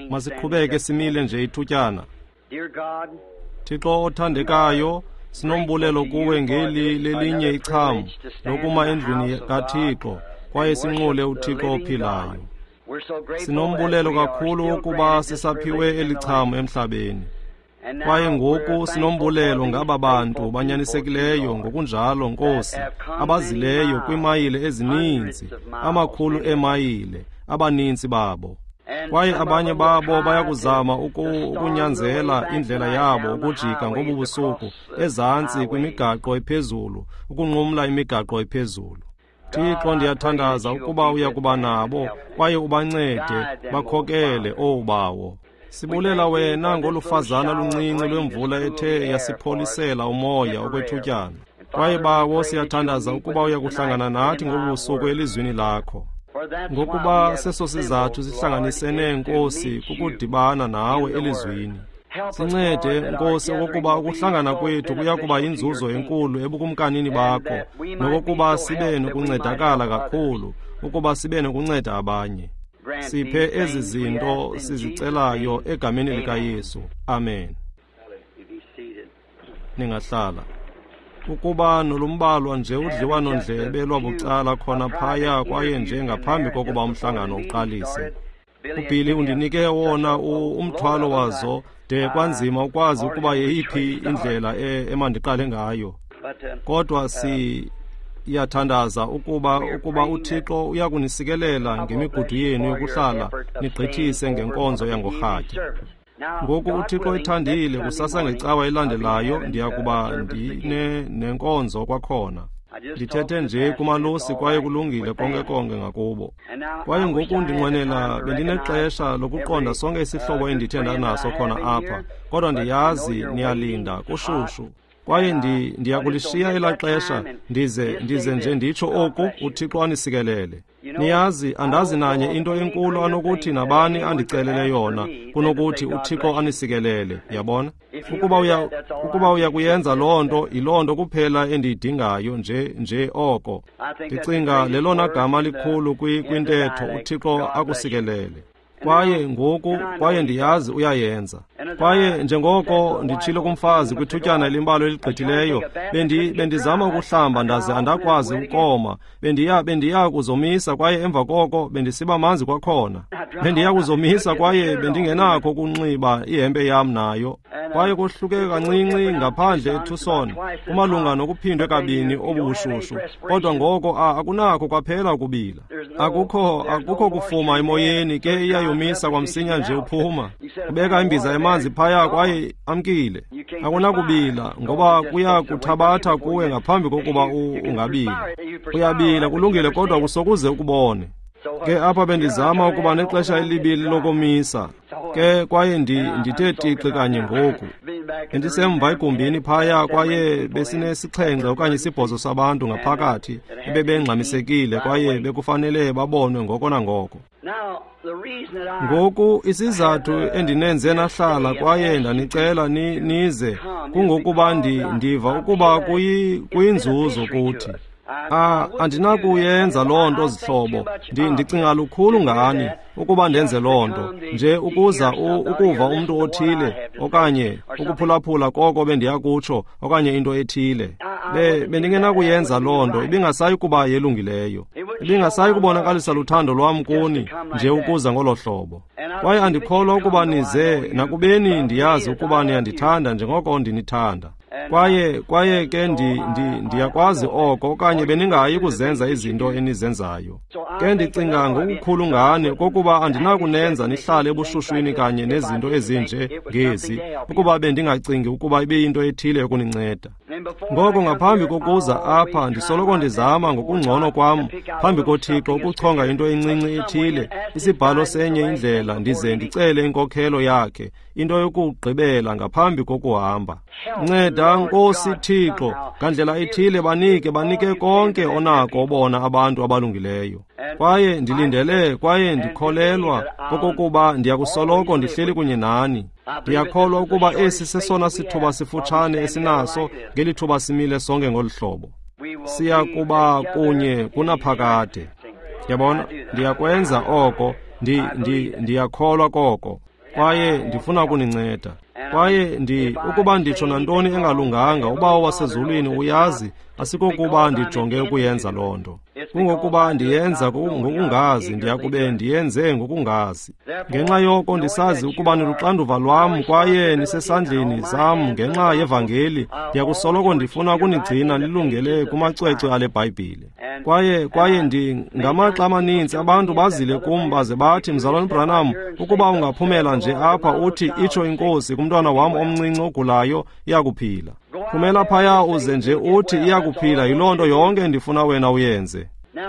Masiqhubeke simile nje ithutyana. Thixo othandekayo, sinombulelo kuwe ngeli lelinye icham lokuma endlwini kaThixo kwaye sinqule uThixo ophilayo. Sinombulelo kakhulu ukuba sisaphiwe eli cham emhlabeni. Kwaye ngoku sinombulelo ngaba bantu banyanisekileyo ngokunjalo, Nkosi, abazileyo kwiimayile ezininzi, amakhulu eemayile, abaninzi babo. Kwaye abanye babo bayakuzama ukunyanzela indlela yabo ukujika ngobu busuku ezantsi kwimigaqo ephezulu, ukunqumla imigaqo ephezulu. Thixo, ndiyathandaza ukuba uya kuba nabo kwaye ubancede bakhokele, owu Bawo. Sibulela wena ngolufazana luncinci lwemvula ethe yasipholisela umoya okwethutyana. Kwaye Bawo, siyathandaza ukuba uya kuhlangana nathi ngobu busuku elizwini lakho. Ngokuba seso sizathu sihlanganisene, Nkosi, kukudibana nawe elizwini. Sincede, Nkosi, okokuba ukuhlangana kwethu kuya kuba yinzuzo enkulu ebukumkanini bakho, nokokuba sibe nokuncedakala kakhulu, ukuba sibe nokunceda abanye. Siphe ezi zinto sizicelayo egameni likaYesu. Amen. Ningahlala. Ukuba nolumbalwa nje udliwano-ndlebe lwabucala khona phaya kwaye nje ngaphambi kokuba umhlangano uqalise. UBilly undinike wona umthwalo wazo de kwanzima ukwazi ukuba yeyiphi indlela emandiqale ngayo. Kodwa siyathandaza ukuba uThixo uyakunisikelela ngemigudu yenu yokuhlala nigqithise ngenkonzo yangorhatya. Ngoku uThixo ethandile, kusasa ngecawa elandelayo ndiya kuba ndine nenkonzo kwakhona. Ndithethe nje kumalusi kwaye kulungile konke konke ngakubo. Kwaye ngoku ndinqwenela bendinexesha lokuqonda sonke isihlobo endithe ndanaso khona apha, kodwa ndiyazi niyalinda kushushu. Kwaye ndiyakulishiya elaa xesha ndize nje nditsho oku, uThixo anisikelele. Niyazi, andazi nanye into enkulu anokuthi nabani andicelele yona kunokuthi uThixo anisikelele, yabona? Ukuba uya kuyenza loo nto, yiloo nto kuphela endiyidingayo nje oko. Ndicinga lelona gama likhulu kwintetho, uThixo akusikelele. Kwaye ngoku, kwaye ndiyazi uyayenza. Kwaye njengoko nditshilo kumfazi kwithutyana elimbalwa eligqithileyo, bendizama ukuhlamba ndaze andakwazi ukoma. Bendiya kuzomisa kwaye emva koko bendisiba manzi kwakhona. Bendiya kuzomisa kwaye bendingenakho ukunxiba ihempe yam nayo. Kwaye kohluke kancinci ngaphandle eTucson, kumalunga nokuphindwe kabini obubushushu. Kodwa ngoko akunakho kwaphela ukubila. Akukho kufuma emoyeni, ke iyayomisa kwamsinya nje uphuma. Ubeka imbiza yamanzi phaya kwaye amkile. Akunakubila ngoba kuya kuthabatha kuwe ngaphambi kokuba ungabila. Uyabila kulungile, kodwa kusokuze ukubone. Ke apha bendizama ukuba nexesha elibili lokomisa. Ke kwaye ndithe tixi kanye ngoku. Bendisemva egumbini phaya kwaye besinesixhenxe okanye isibhozo sabantu ngaphakathi ebebengxamisekile kwaye bekufanele babonwe ngoko nangoko. Ngoku isizathu endinenze nahlala kwaye ndanicela nize kungokuba ndiva ukuba kuyinzuzo kuthi. Andinakuyenza loo nto, zihlobo. Ndicinga lukhulu ngani ukuba ndenze loo nto nje ukuza ukuva umntu othile okanye ukuphulaphula koko bendiya kutsho okanye into ethile. Bendingenakuyenza loo nto, ibingasayi kuba yelungileyo. Ibingasayi kubonakalisa luthando lwam kuni nje ukuza ngolo hlobo. Kwaye andikholwa ukuba nize, nakubeni ndiyazi ukuba niyandithanda njengoko ndinithanda. Kwaye ke ndiyakwazi oko, okanye beningayi kuzenza izinto enizenzayo. Ke ndicinga ngokukhulu ngani kokuba andinakunenza nihlale ebushushwini kanye nezinto ezinje ngezi, ukuba bendingacingi ukuba ibiyinto ethile yokuninceda. Ngoko ngaphambi kokuza apha, ndisoloko ndizama ngokungcono kwam phambi koThixo ukuchonga into encinci ethile, isibhalo senye indlela, ndize ndicele inkokhelo yakhe, into yokugqibela ngaphambi kokuhamba. Nceda, Nkosi Thixo, ngandlela ethile banike konke onako bona abantu abalungileyo. Kwaye ndilindele kwaye ndikholelwa okokuba ndiyakusoloko ndihleli kunye nani. Ndiyakholwa ukuba esi sesona sithuba sifutshane esinaso ngeli thuba simile sonke ngolu hlobo. Siya kuba kunye kunaphakade. Yabona, ndiyakwenza oko. Ndiyakholwa koko, kwaye ndifuna ukuninceda. Kwaye ukuba nditsho nantoni engalunganga, uBawo wasezulwini uyazi, asikokuba ndijonge ukuyenza loo nto. Kungokuba ndiyenza ngokungazi, ndiyakube ndiyenze ngokungazi. Ngenxa yoko ndisazi ukuba niluxanduva lwam kwaye nisesandleni sam ngenxa yevangeli, ndiyakusoloko ndifuna ukunigcina nilungele kumacwecwe ale Bhayibhile. Kwaye ngamaxa amaninzi abantu bazile kum baze bathi, Mzalwana Branham, ukuba ungaphumela nje apha uthi itsho iNkosi kumntwana wam omncinci ogulayo, iyakuphila. Phumela phaya uze nje uthi iyakuphila, yiloo nto yonke endifuna wena uyenze.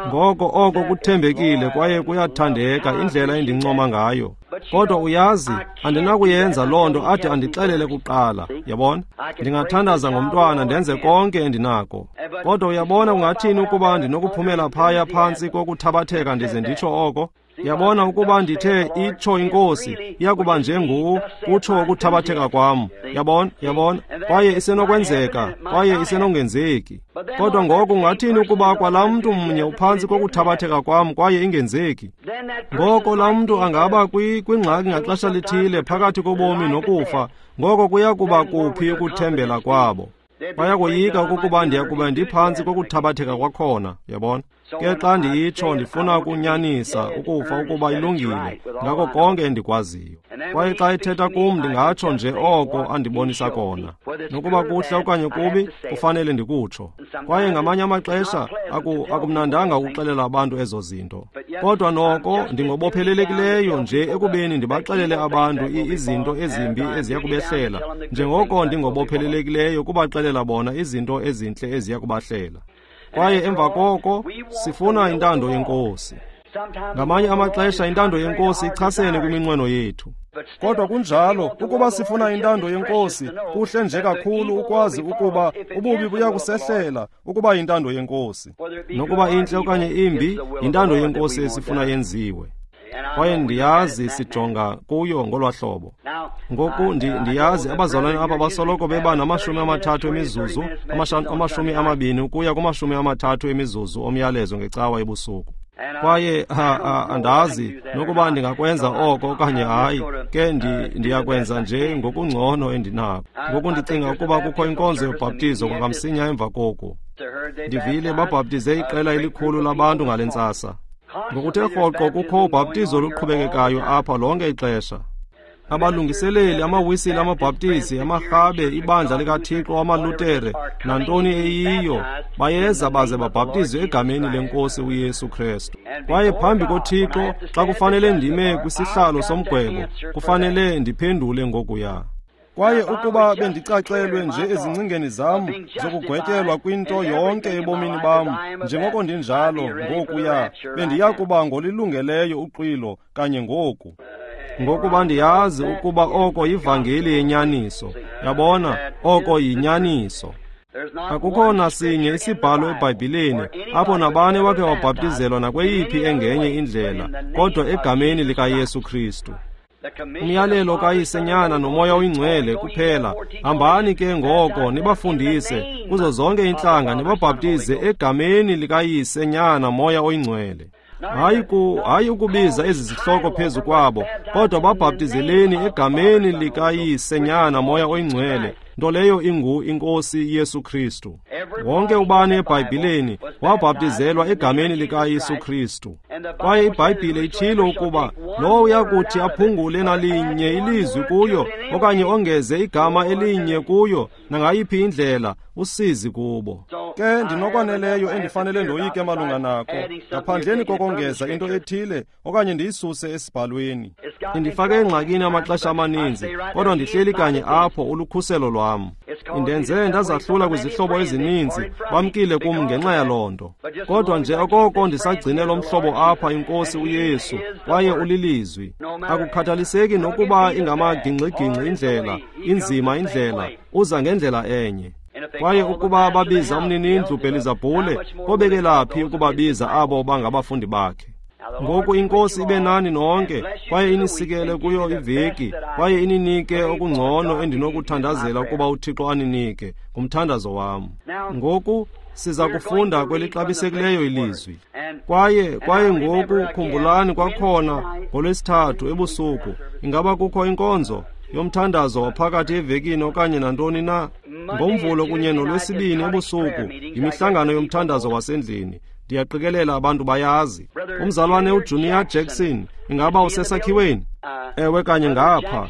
Ngoko oko kuthembekile kwaye kuyathandeka indlela endincoma ngayo. Kodwa uyazi, andinakuyenza loo nto ade andixelele kuqala, yabona? Ndingathandaza ngomntwana ndenze konke endinako. Kodwa uyabona kungathini ukuba ndinokuphumela phaya phantsi kokuthabatheka ndize nditsho oko? Yabona ukuba ndithe itsho iNkosi, iyakuba njengu kutsho ukuthabatheka kwam. Yabona, yabona, kwaye isenokwenzeka, kwaye isenongenzeki. Kodwa ngoku ungathini ukuba kwalaa mntu mnye uphantsi kokuthabatheka kwam kwaye ingenzeki? Ngoko laa mntu angaba kwingxaki ngaxesha lithile phakathi kobomi nokufa, ngoko kuya kuba kuphi ukuthembela kwabo? Bayakoyika okokuba ndiyakuba ndiphantsi kokuthabatheka kwakhona, yabona? Ke xa ndiyitsho ndifuna ukunyanisa ukufa ukuba ilungile ngako konke endikwaziyo. Kwaye xa ethetha kum ndingatsho nje oko andibonisa kona. Nokuba kuhle okanye kubi, kufanele ndikutsho. Kwaye ngamanye amaxesha akumnandanga ukuxelela abantu ezo zinto. Kodwa noko ndingobophelelekileyo nje ekubeni ndibaxelele abantu izinto ezimbi eziya kubehlela, njengoko ndingobophelelekileyo kubaxelela bona izinto ezintle eziya kubahlela. Kwaye emva koko sifuna intando yeNkosi. Ngamanye amaxesha intando yeNkosi ichasene kwiminqweno yethu. Kodwa kunjalo, ukuba sifuna intando yeNkosi, kuhle nje kakhulu ukwazi ukuba ububi buyakusehlela ukuba yintando yeNkosi. Nokuba intle okanye imbi, yintando yeNkosi esifuna yenziwe. Kwaye ndiyazi sijonga kuyo ngolwa hlobo. Ngoku ndiyazi abazalwane apha basoloko beba nama-30 emizuzu, 20 ukuya kuma-30 emizuzu omyalezo ngecawa ebusuku. Kwaye andazi nokuba ndingakwenza oko okanye hayi, ke ndiyakwenza nje ngokungcono endinako. Ngoku ndicinga ukuba kukho inkonzo yobhaptizo kwakamsinya emva koku. Ndivile babhaptize iqela elikhulu labantu ngale ntsasa. Ngokuthe rhoqo kukho ubhaptizo oluqhubekekayo apha lonke ixesha. Abalungiseleli, amawisile, amabhaptizi, amarhabe, ibandla likaThixo, amalutere, nantoni eyiyo, bayeza baze babhaptizwe egameni lenkosi uYesu Kristu. Kwaye phambi koThixo, xa kufanele ndime kwisihlalo somgwebo, kufanele ndiphendule ngokuya. Kwaye ukuba bendicacelwe nje ezingcingeni zam zokugwetyelwa kwinto yonke ebomini bam, njengoko ndinjalo ngokuya, bendiya kuba ngolilungeleyo uxwilo kanye ngoku. Ngokuba ndiyazi ukuba oko yivangeli yenyaniso. Yabona, oko yinyaniso. Akukho nasinye isibhalo eBhayibhileni apho nabani wakhe wabhaptizelwa nakweyiphi engenye indlela, kodwa egameni likaYesu Kristu. Umyalelo kaYise, Nyana noMoya oyiNgcwele kuphela. Hambani ke ngoko nibafundise kuzo zonke iintlanga, nibabhaptize egameni likaYise, Nyana, Moya oyiNgcwele. Hayi ukubiza ezi zihloko phezu kwabo, kodwa babhaptizeleni egameni likaYise, Nyana, Moya oyiNgcwele, nto leyo ingu iNkosi Yesu Kristu. Wonke ubani eBhayibhileni wabhaptizelwa egameni likaYesu Kristu. Kwaye iBhayibhile itshilo ukuba lowo uyakuthi aphungule nalinye ilizwi kuyo okanye ongeze igama elinye kuyo nangayiphi indlela, usizi kubo. Ke ndinokwaneleyo endifanele ndoyike malunga nako, ngaphandleni kokongeza into ethile okanye ndiyisuse esibhalweni. Indifake engxakini amaxesha amaninzi, kodwa ndihleli kanye apho ulukhuselo lwam. Indenze ndazahlula kwizihlobo ezininzi, bamkile kum ngenxa yaloo nto. Kodwa nje okoko ndisagcine lo mhlobo apha, iNkosi uYesu, kwaye ulilizwi. Akukhathaliseki nokuba ingamagingxigingxi indlela, inzima indlela, uza ngendlela enye. Kwaye ukuba babiza umninindlu Bhelizabhule, kobekelaphi ukubabiza abo bangabafundi bakhe? Ngoku iNkosi ibe nani nonke, kwaye inisikele kuyo iveki, kwaye ininike okungcono endinokuthandazela ukuba uThixo aninike, ngumthandazo wam. Ngoku Siza kufunda kwelixabisekileyo ilizwi. Kwaye ngoku khumbulani kwakhona ngoLwesithathu ebusuku, ingaba kukho inkonzo yomthandazo waphakathi evekini okanye nantoni na? NgoMvulo kunye noLwesibini ebusuku yimihlangano yomthandazo wasendlini. Ndiyaqikelela abantu bayazi. Umzalwane uJunior Jackson, ingaba usesakhiweni? Ewe, kanye ngapha.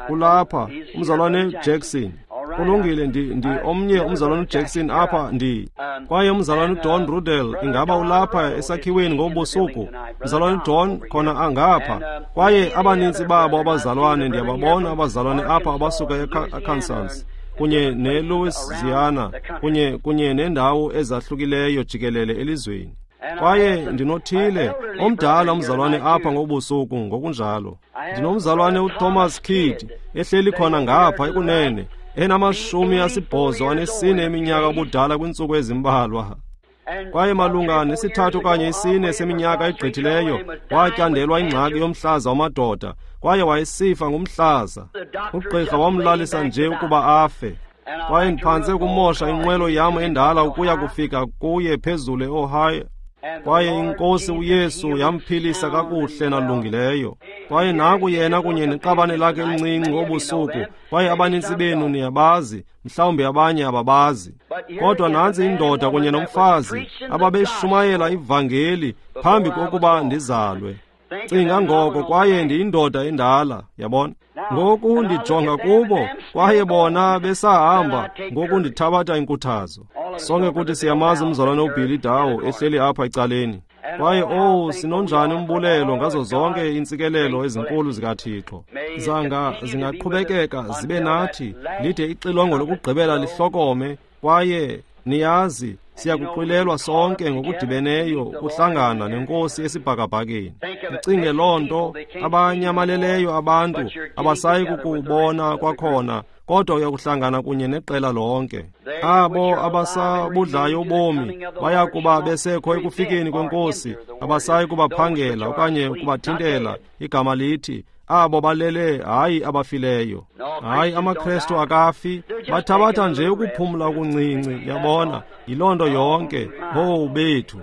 Kulapha umzalwane Jackson. Kulungile, ndi omnye umzalwane uJackson apha ndi. Kwaye umzalwane uDon Rudel, ingaba ulapha esakhiweni ngobusuku? Umzalwane Don khona angapha. Kwaye abaninzi babo abazalwane, ndiyababona abazalwane apha abasuka eArkansas kunye neLouisiana kunye nendawo ezahlukileyo jikelele elizweni. Kwaye ndinothile omdala umzalwane apha ngobusuku ngokunjalo. Ndinomzalwane uThomas Kidd ehleli khona ngapha ekunene, enama-84 eminyaka ubudala kwintsuku ezimbalwa. Kwaye malunga ne-3 okanye 4 seminyaka egqithileyo watyandelwa ingxaki yomhlaza wamadoda, kwaye wayesifa ngumhlaza. Ugqirha wamlalisa nje ukuba afe. Kwaye ndiphantse ukumosha inqwelo yam endala ukuya kufika kuye phezulu eOhio. Kwaye iNkosi uYesu yamphilisa kakuhle nalungileyo. Kwaye naku yena kunye neqabane lakhe elincinci ngobusuku. Kwaye abanintsi benu niyabazi, mhlawumbi abanye ababazi. Kodwa nantsi indoda kunye nomfazi ababeshumayela ivangeli phambi kokuba ndizalwe. Cinga ngoko, kwaye ndiyindoda endala, yabona. Ngoku ndijonga kubo, kwaye bona besahamba, ngoku ndithabatha inkuthazo. Sonke kuthi siyamazi umzalwane uBilly Dow ehleli apha ecaleni. Kwaye sinonjani umbulelo ngazo zonke iintsikelelo ezinkulu zikaThixo. Zanga zingaqhubekeka zibe nathi lide ixilongo lokugqibela lihlokome, kwaye niyazi siyakuxwilelwa sonke ngokudibeneyo ukuhlangana neNkosi esibhakabhakeni. Ucinge loo nto, abanyamaleleyo abantu abasayi kukubona kwakhona, kodwa uyakuhlangana kunye neqela lonke. Abo abasabudlayo ubomi baya kuba besekho ekufikeni kweNkosi, abasayi kubaphangela okanye kubathintela. Igama lithi abo balele, hayi abafileyo. Hayi, amaKrestu akafi, bathabatha nje ukuphumla okuncinci, yabona, yiloo nto yonke. Owu bethu!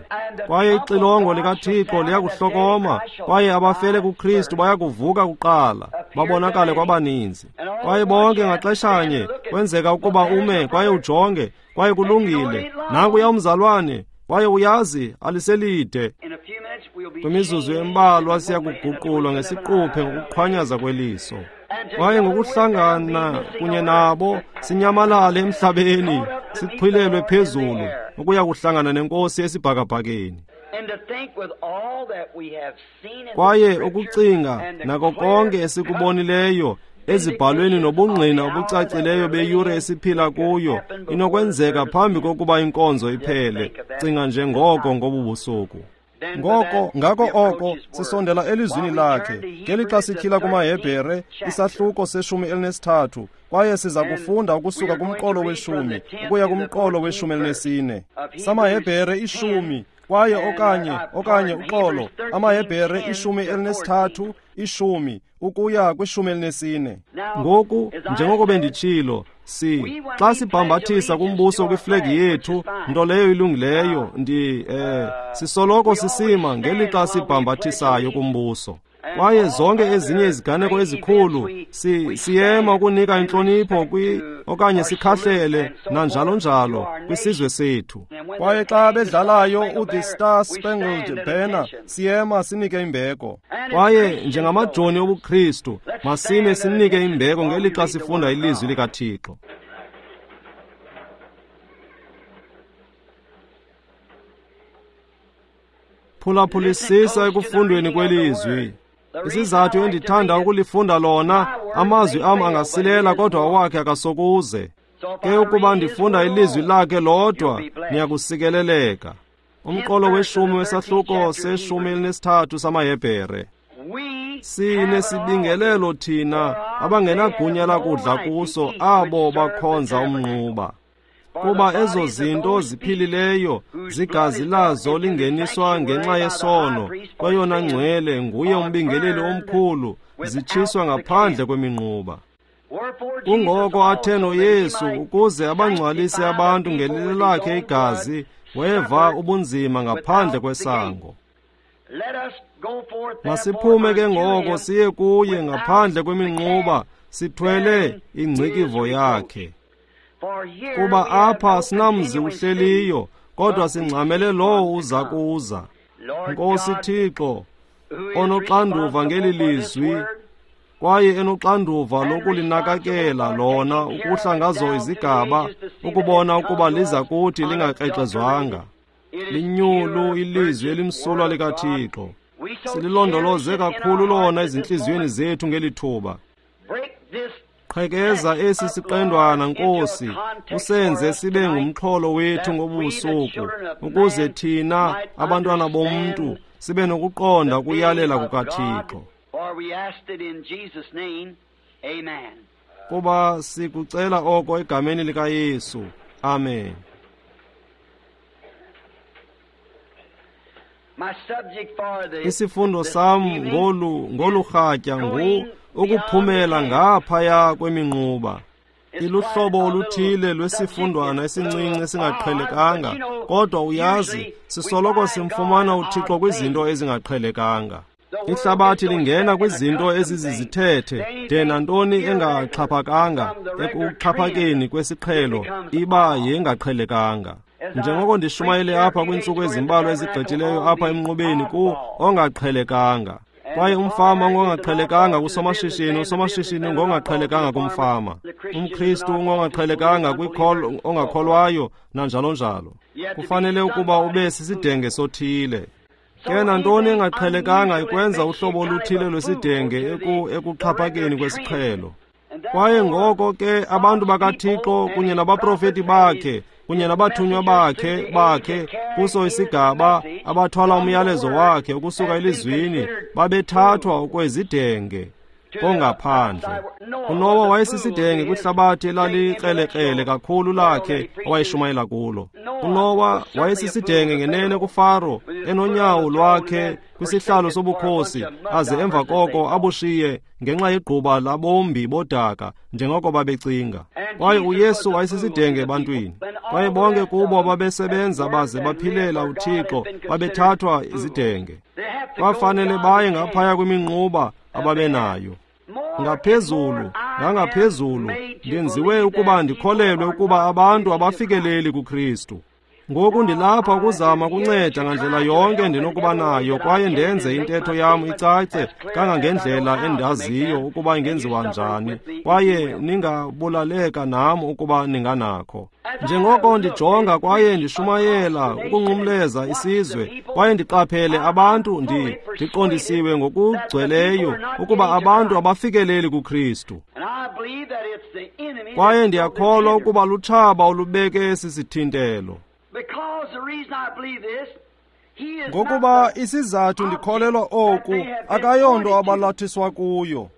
Kwaye ixilongo likaThixo liyakuhlokoma, kwaye abafele kuKristu bayakuvuka kuqala, babonakale kwabaninzi. Kwaye bonke ngaxeshanye kwenzeka ukuba ume kwaye ujonge, kwaye kulungile, nankuya umzalwane, kwaye uyazi aliselide. Kwimizuzu embalwa siyakuguqulwa ngesiquphe ngokuqhwanyaza kweliso. Kwaye ngokuhlangana kunye nabo sinyamalale emhlabeni, sixhwilelwe phezulu ukuya kuhlangana neNkosi esibhakabhakeni. Kwaye ukucinga nako konke esikubonileyo ezibhalweni nobungqina obucacileyo beyure esiphila kuyo inokwenzeka phambi kokuba inkonzo iphele. Cinga nje ngoko ngobu busuku. Ngoko ngako oko sisondela elizwini lakhe ngelixa sityhila kumaHebhere isahluko se-13, kwaye siza kufunda ukusuka kumqolo we-10 ukuya kumqolo we-14. SamaHebhere 10 kwaye okanye uxolo, amaHebhere 13 10 ukuya kwi-14. Ngoku njengoko benditshilo, xa sibhambathisa kumbuso kwiflegi yethu, nto leyo ilungileyo, sisoloko sisima ngelixa sibhambathisayo kumbuso. Kwaye zonke ezinye iziganeko ezikhulu siyema ukunika intlonipho okanye sikhahlele nanjalo njalo kwisizwe sethu. Kwaye xa bedlalayo uThe Star Spangled Banner, siyema sinike imbeko. Kwaye njengamajoni obuKristu, masime sinike imbeko ngelixa sifunda ilizwi likaThixo. Phulaphulisisa ekufundweni kwelizwi. Isizathu endithanda ukulifunda lona, amazwi am angasilela kodwa awakhe akasokuze. Ke ukuba ndifunda ilizwi lakhe lodwa, niyakusikeleleka. Umqolo we-10 wesahluko se-13 samaHebhere. Sinesibingelelo thina abangenagunya lakudla kuso abo bakhonza umnquba. Kuba ezo zinto ziphilileyo zigazi lazo lingeniswa ngenxa yesono kweyona ngcwele nguye umbingeleli omkhulu, zitshiswa ngaphandle kweminquba. Kungoko athe noYesu ukuze abangcwalise abantu ngelilakhe igazi, weva ubunzima ngaphandle kwesango. Masiphume ke ngoko siye kuye ngaphandle kweminquba, sithwele ingcikivo yakhe. Kuba apha sinamzi uhleliyo, kodwa singxamele lowo uza kuza. Nkosi Thixo, onoxanduva ngeli lizwi, kwaye enoxanduva lokulinakakela lona ukuhla ngazo izigaba, ukubona ukuba liza kuthi lingakrexezwanga. Linyulu ilizwi elimsulwa likaThixo. Sililondoloze kakhulu lona ezintliziyweni zethu ngeli thuba. Qhekeza esi siqendwana, Nkosi, usenze sibe ngumxholo wethu ngobusuku, ukuze thina abantwana bomntu sibe nokuqonda ukuyalela kukaThixo. Kuba sikucela oko egameni likaYesu. Amen. Isifundo sam ngolu rhatya ngu ukuphumela ngaphaya kweminquba. Iluhlobo oluthile lwesifundwana esincinci esingaqhelekanga, kodwa uyazi, sisoloko simfumana uThixo kwizinto ezingaqhelekanga. Ihlabathi lingena kwizinto ezizizithethe de nantoni engaxhaphakanga ekuxhaphakeni kwesiqhelo iba yengaqhelekanga. Njengoko ndishumayele apha kwiintsuku ezimbalwa ezigqithileyo apha emnqubeni ku ongaqhelekanga. Kwaye umfama ungongaqhelekanga kusomashishini, usomashishini ungongaqhelekanga kumfama, umKristu ungongaqhelekanga ongakholwayo, nanjalo njalo. Kufanele ukuba ube sisidenge sothile. Ke nantoni engaqhelekanga ikwenza uhlobo oluthile lwesidenge ekuxhaphakeni kwesiqhelo. Kwaye ngoko ke abantu bakaThixo kunye nabaprofeti bakhe kunye nabathunywa bakhe kuso isigaba abathwala umyalezo wakhe ukusuka elizwini babethathwa okwezidenge kongaphandle. UNowa wayesisidenge kwihlabathi elalikrelekrele kakhulu lakhe awayeshumayela kulo. UNowa wayesisidenge ngenene kuFaro, enonyawo lwakhe kwisihlalo sobukhosi, aze emva koko abushiye ngenxa yegquba labombi bodaka njengoko babecinga. Kwaye uYesu wayesisidenge ebantwini. Kwaye bonke kubo babesebenza baze baphilela uThixo babethathwa izidenge. Kwafanele baye ngaphaya kweminquba ababenayo. Ngaphezulu, ngangaphezulu, ndenziwe ukuba ndikholelwe ukuba abantu abafikeleli kuKristu. Ngoku ndilapha ukuzama ukunceda ngandlela yonke ndinokuba nayo, kwaye ndenze intetho yam icace kangangendlela endaziyo ukuba ingenziwa njani, kwaye ningabulaleka nam ukuba ninganakho. Njengoko ndijonga kwaye ndishumayela ukunqumleza isizwe, kwaye ndiqaphele abantu, ndiqondisiwe ngokugcweleyo ukuba abantu abafikeleli kuKristu. Kwaye ndiyakholwa ukuba lutshaba olubeke esi sithintelo. Ngokuba isizathu ndikholelwa oku akayonto abalathiswa kuyo.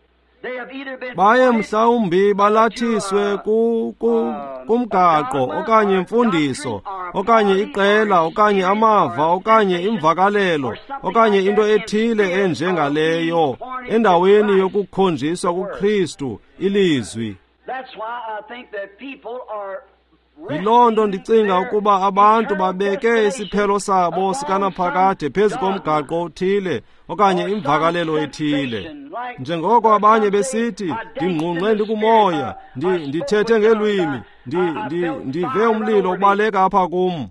Baye mhlawumbi balathiswe kumgaqo okanye imfundiso okanye iqela okanye amava okanye imvakalelo okanye into ethile enjengaleyo endaweni yokukhonjiswa kuKristu ilizwi. Yiloo nto ndicinga ukuba abantu babeke isiphelo sabo sikanaphakade phezu komgaqo othile okanye imvakalelo ethile. Njengoko abanye besithi, ndingqungqe ndikumoya, ndithethe ngeelwimi, ndive umlilo ubaleka apha kum.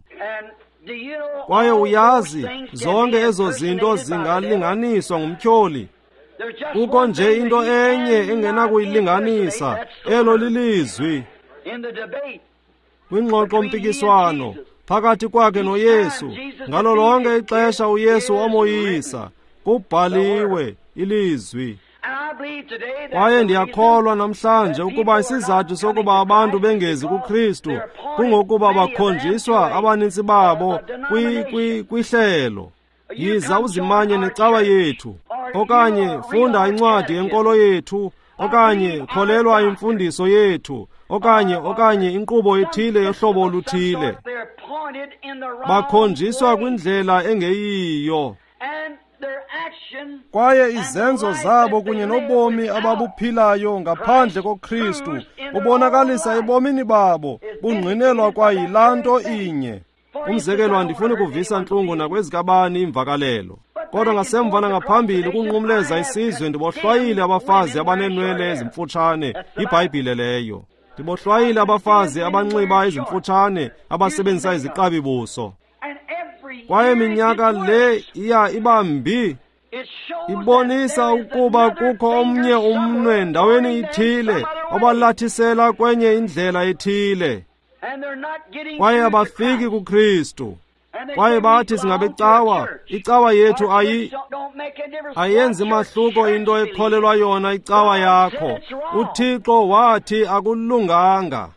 Kwaye uyazi, zonke ezo zinto zingalinganiswa ngumtyholi. Kukho nje into enye engenakuyilinganisa, elo lilizwi. Kwingxoxo-mpikiswano phakathi kwakhe noYesu, ngalo lonke ixesha uYesu wamoyisa, kubhaliwe ilizwi. Kwaye ndiyakholwa namhlanje ukuba isizathu sokuba abantu bengezi kuKristu kungokuba bakhonjiswa abanintsi babo kwihlelo. Yiza uzimanye necawa yethu, okanye funda incwadi yenkolo yethu, okanye kholelwa imfundiso yethu, okanye inkqubo ethile yohlobo oluthile. Bakhonjiswa kwindlela engeyiyo. Kwaye izenzo zabo kunye nobomi ababuphilayo ngaphandle koKristu bubonakalisa ebomini babo, bungqinelwa kwayilaa nto inye. Umzekelo, andifuni kuvisa ntlungu nakwezikabani imvakalelo, kodwa ngasemva nangaphambili ukunqumleza isizwe ndibohlwayile abafazi abaneenwele ezimfutshane, iBhayibhile leyo. Ndibohlwayile abafazi abanxiba ezimfutshane, abasebenzisa iziqabi buso. Kwaye minyaka le iya iba mbi, ibonisa ukuba kukho omnye umnwe ndaweni ithile obalathisela kwenye indlela ethile. Kwaye abafiki kuKristu. Kwaye bathi singabecawa, icawa yethu ayenzi mahluko into ekholelwa yona icawa yakho. UThixo wathi akulunganga.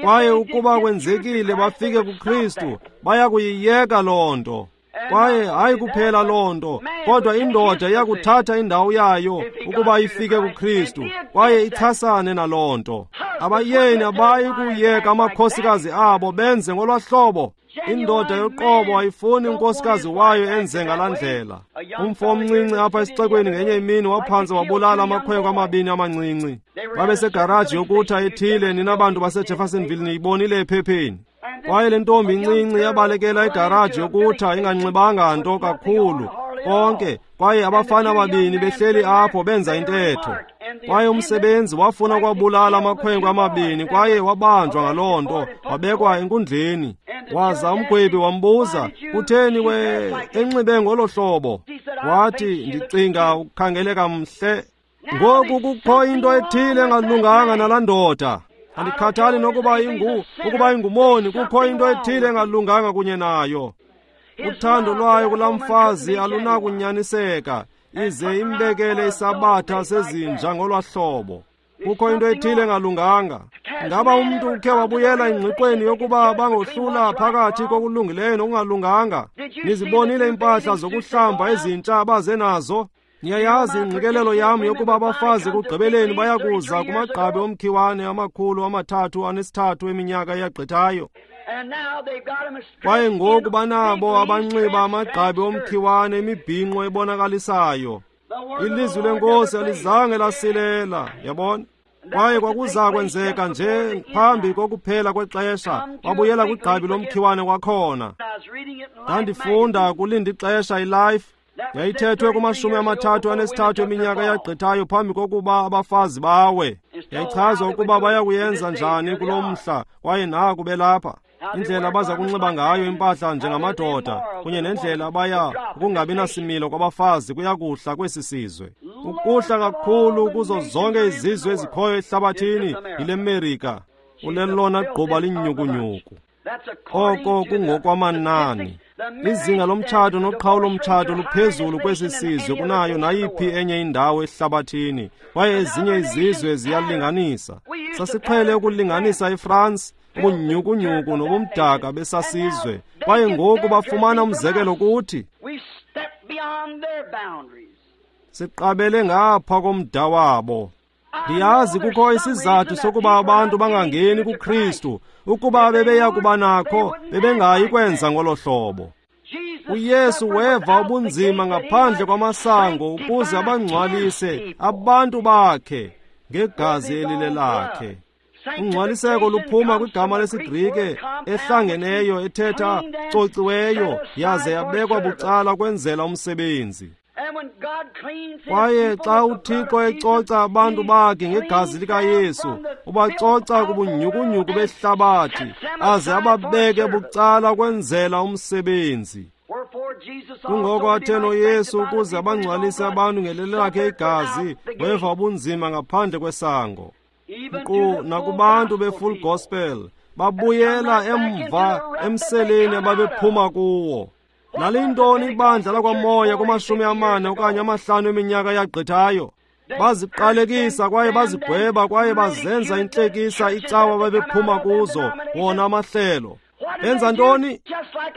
Kwaye ukuba kwenzekile bafike kuKristu, baya kuyiyeka loo nto. Kwaye hayi kuphela loo nto, kodwa indoda iyakuthatha indawo yayo ukuba ifike kuKristu, kwaye ichasane naloo nto. Abayeni abayi kuyeka amakhosikazi abo benze ngolwa hlobo. Indoda yoqobo ayifuni unkosikazi wayo enze ngalaa ndlela. Umfo omncinci apha esixekweni ngenye imini waphantse wabulala amakhwenkwe amabini amancinci. Babesegaraji yokutha ethile, nina bantu baseJeffersonville niyibonile ephepheni. Kwaye le ntombi incinci yabalekela igaraji yokutha inganxibanga nto kakhulu konke, kwaye abafana ababini behleli apho benza intetho. Kwaye umsebenzi wafuna ukwabulala amakhwenkwe amabini, kwaye wabanjwa ngaloo nto, wabekwa enkundleni. Waza umgwebi wambuza, kutheni we enxibe ngolo hlobo? Wathi, ndicinga ukukhangeleka mhle. Ngoku kukho into ethile engalunganga nalaa ndoda. Andikhathali nokuba ukuba ingumoni, kukho into ethile engalunganga kunye nayo. Uthando lwayo kulaa mfazi alunakunyaniseka, ize imbekele isabatha sezinja ngolwa hlobo. Kukho into ethile engalunganga. Ngaba umntu ukhe wabuyela engqiqweni yokuba bangohlula phakathi kokulungileyo nokungalunganga? Nizibonile iimpahla zokuhlamba ezintsha abaze nazo? Niyayazi ingqikelelo yam yokuba abafazi ekugqibeleni bayakuza kumagqabi omkhiwane 333 eminyaka eyagqithayo. Kwaye ngoku banabo abanxiba amagqabi omkhiwane imibhinqo ebonakalisayo. Ilizwi leNkosi alizange lasilela, yabona? Kwaye kwakuza kwenzeka nje phambi kokuphela kwexesha, babuyela kwigqabi lomkhiwane kwakhona. Ndandifunda kulinda ixesha iLife yayithethwe kuma-33 eminyaka eyagqithayo phambi kokuba abafazi bawe. Yayichazwa ukuba bayakuyenza njani kulo mhla, kwaye naku belapha. Indlela abaza kunxiba ngayo impahla njengamadoda kunye nendlela abaya ukungabi nasimilo kwabafazi kuyakuhla kwesi sizwe. Ukuhla kakhulu kuzo zonke izizwe ezikhoyo ehlabathini yile Merika. Ulelona gquba linyhukunyhuku. Oko kungokwamanani. Izinga lomtshato noqhawulo lomtshato luphezulu kwesi sizwe kunayo nayiphi enye indawo ehlabathini, kwaye ezinye izizwe ziyalinganisa. Sasiqhele ukulinganisa iFrance, ubunyhukunyhuku nobumdaka besasizwe, kwaye ngoku bafumana umzekelo kuthi. Siqabele ngapha komda wabo. Ndiyazi kukho isizathu sokuba abantu bangangeni kuKristu. Ukuba bebeya kuba nakho, bebengayi kwenza ngolo hlobo. uYesu weva ubunzima ngaphandle kwamasango ukuze abangcwalise abantu bakhe ngegazi elilelakhe. Ungcwaliseko luphuma kwigama lesiGrike ehlangeneyo ethetha cociweyo, yaze yabekwa bucala kwenzela umsebenzi. Kwaye xa uThixo ecoca abantu bakhe ngegazi likaYesu, ubacoca kubunyhukunyhuku behlabathi, aze ababeke bucala kwenzela umsebenzi. Kungoko athe noYesu ukuze abangcwalise abantu ngelele lakhe igazi, weva ubunzima ngaphandle kwesango. Nkqu nakubantu be-full gospel, babuyela emva emseleni ababephuma kuwo. Laliyintoni ibandla lakwamoya kuma-40 okanye 50 eminyaka eyagqithayo? Baziqalekisa kwaye bazigweba kwaye bazenza intlekisa icawa babephuma kuzo, wona amahlelo. Benza ntoni?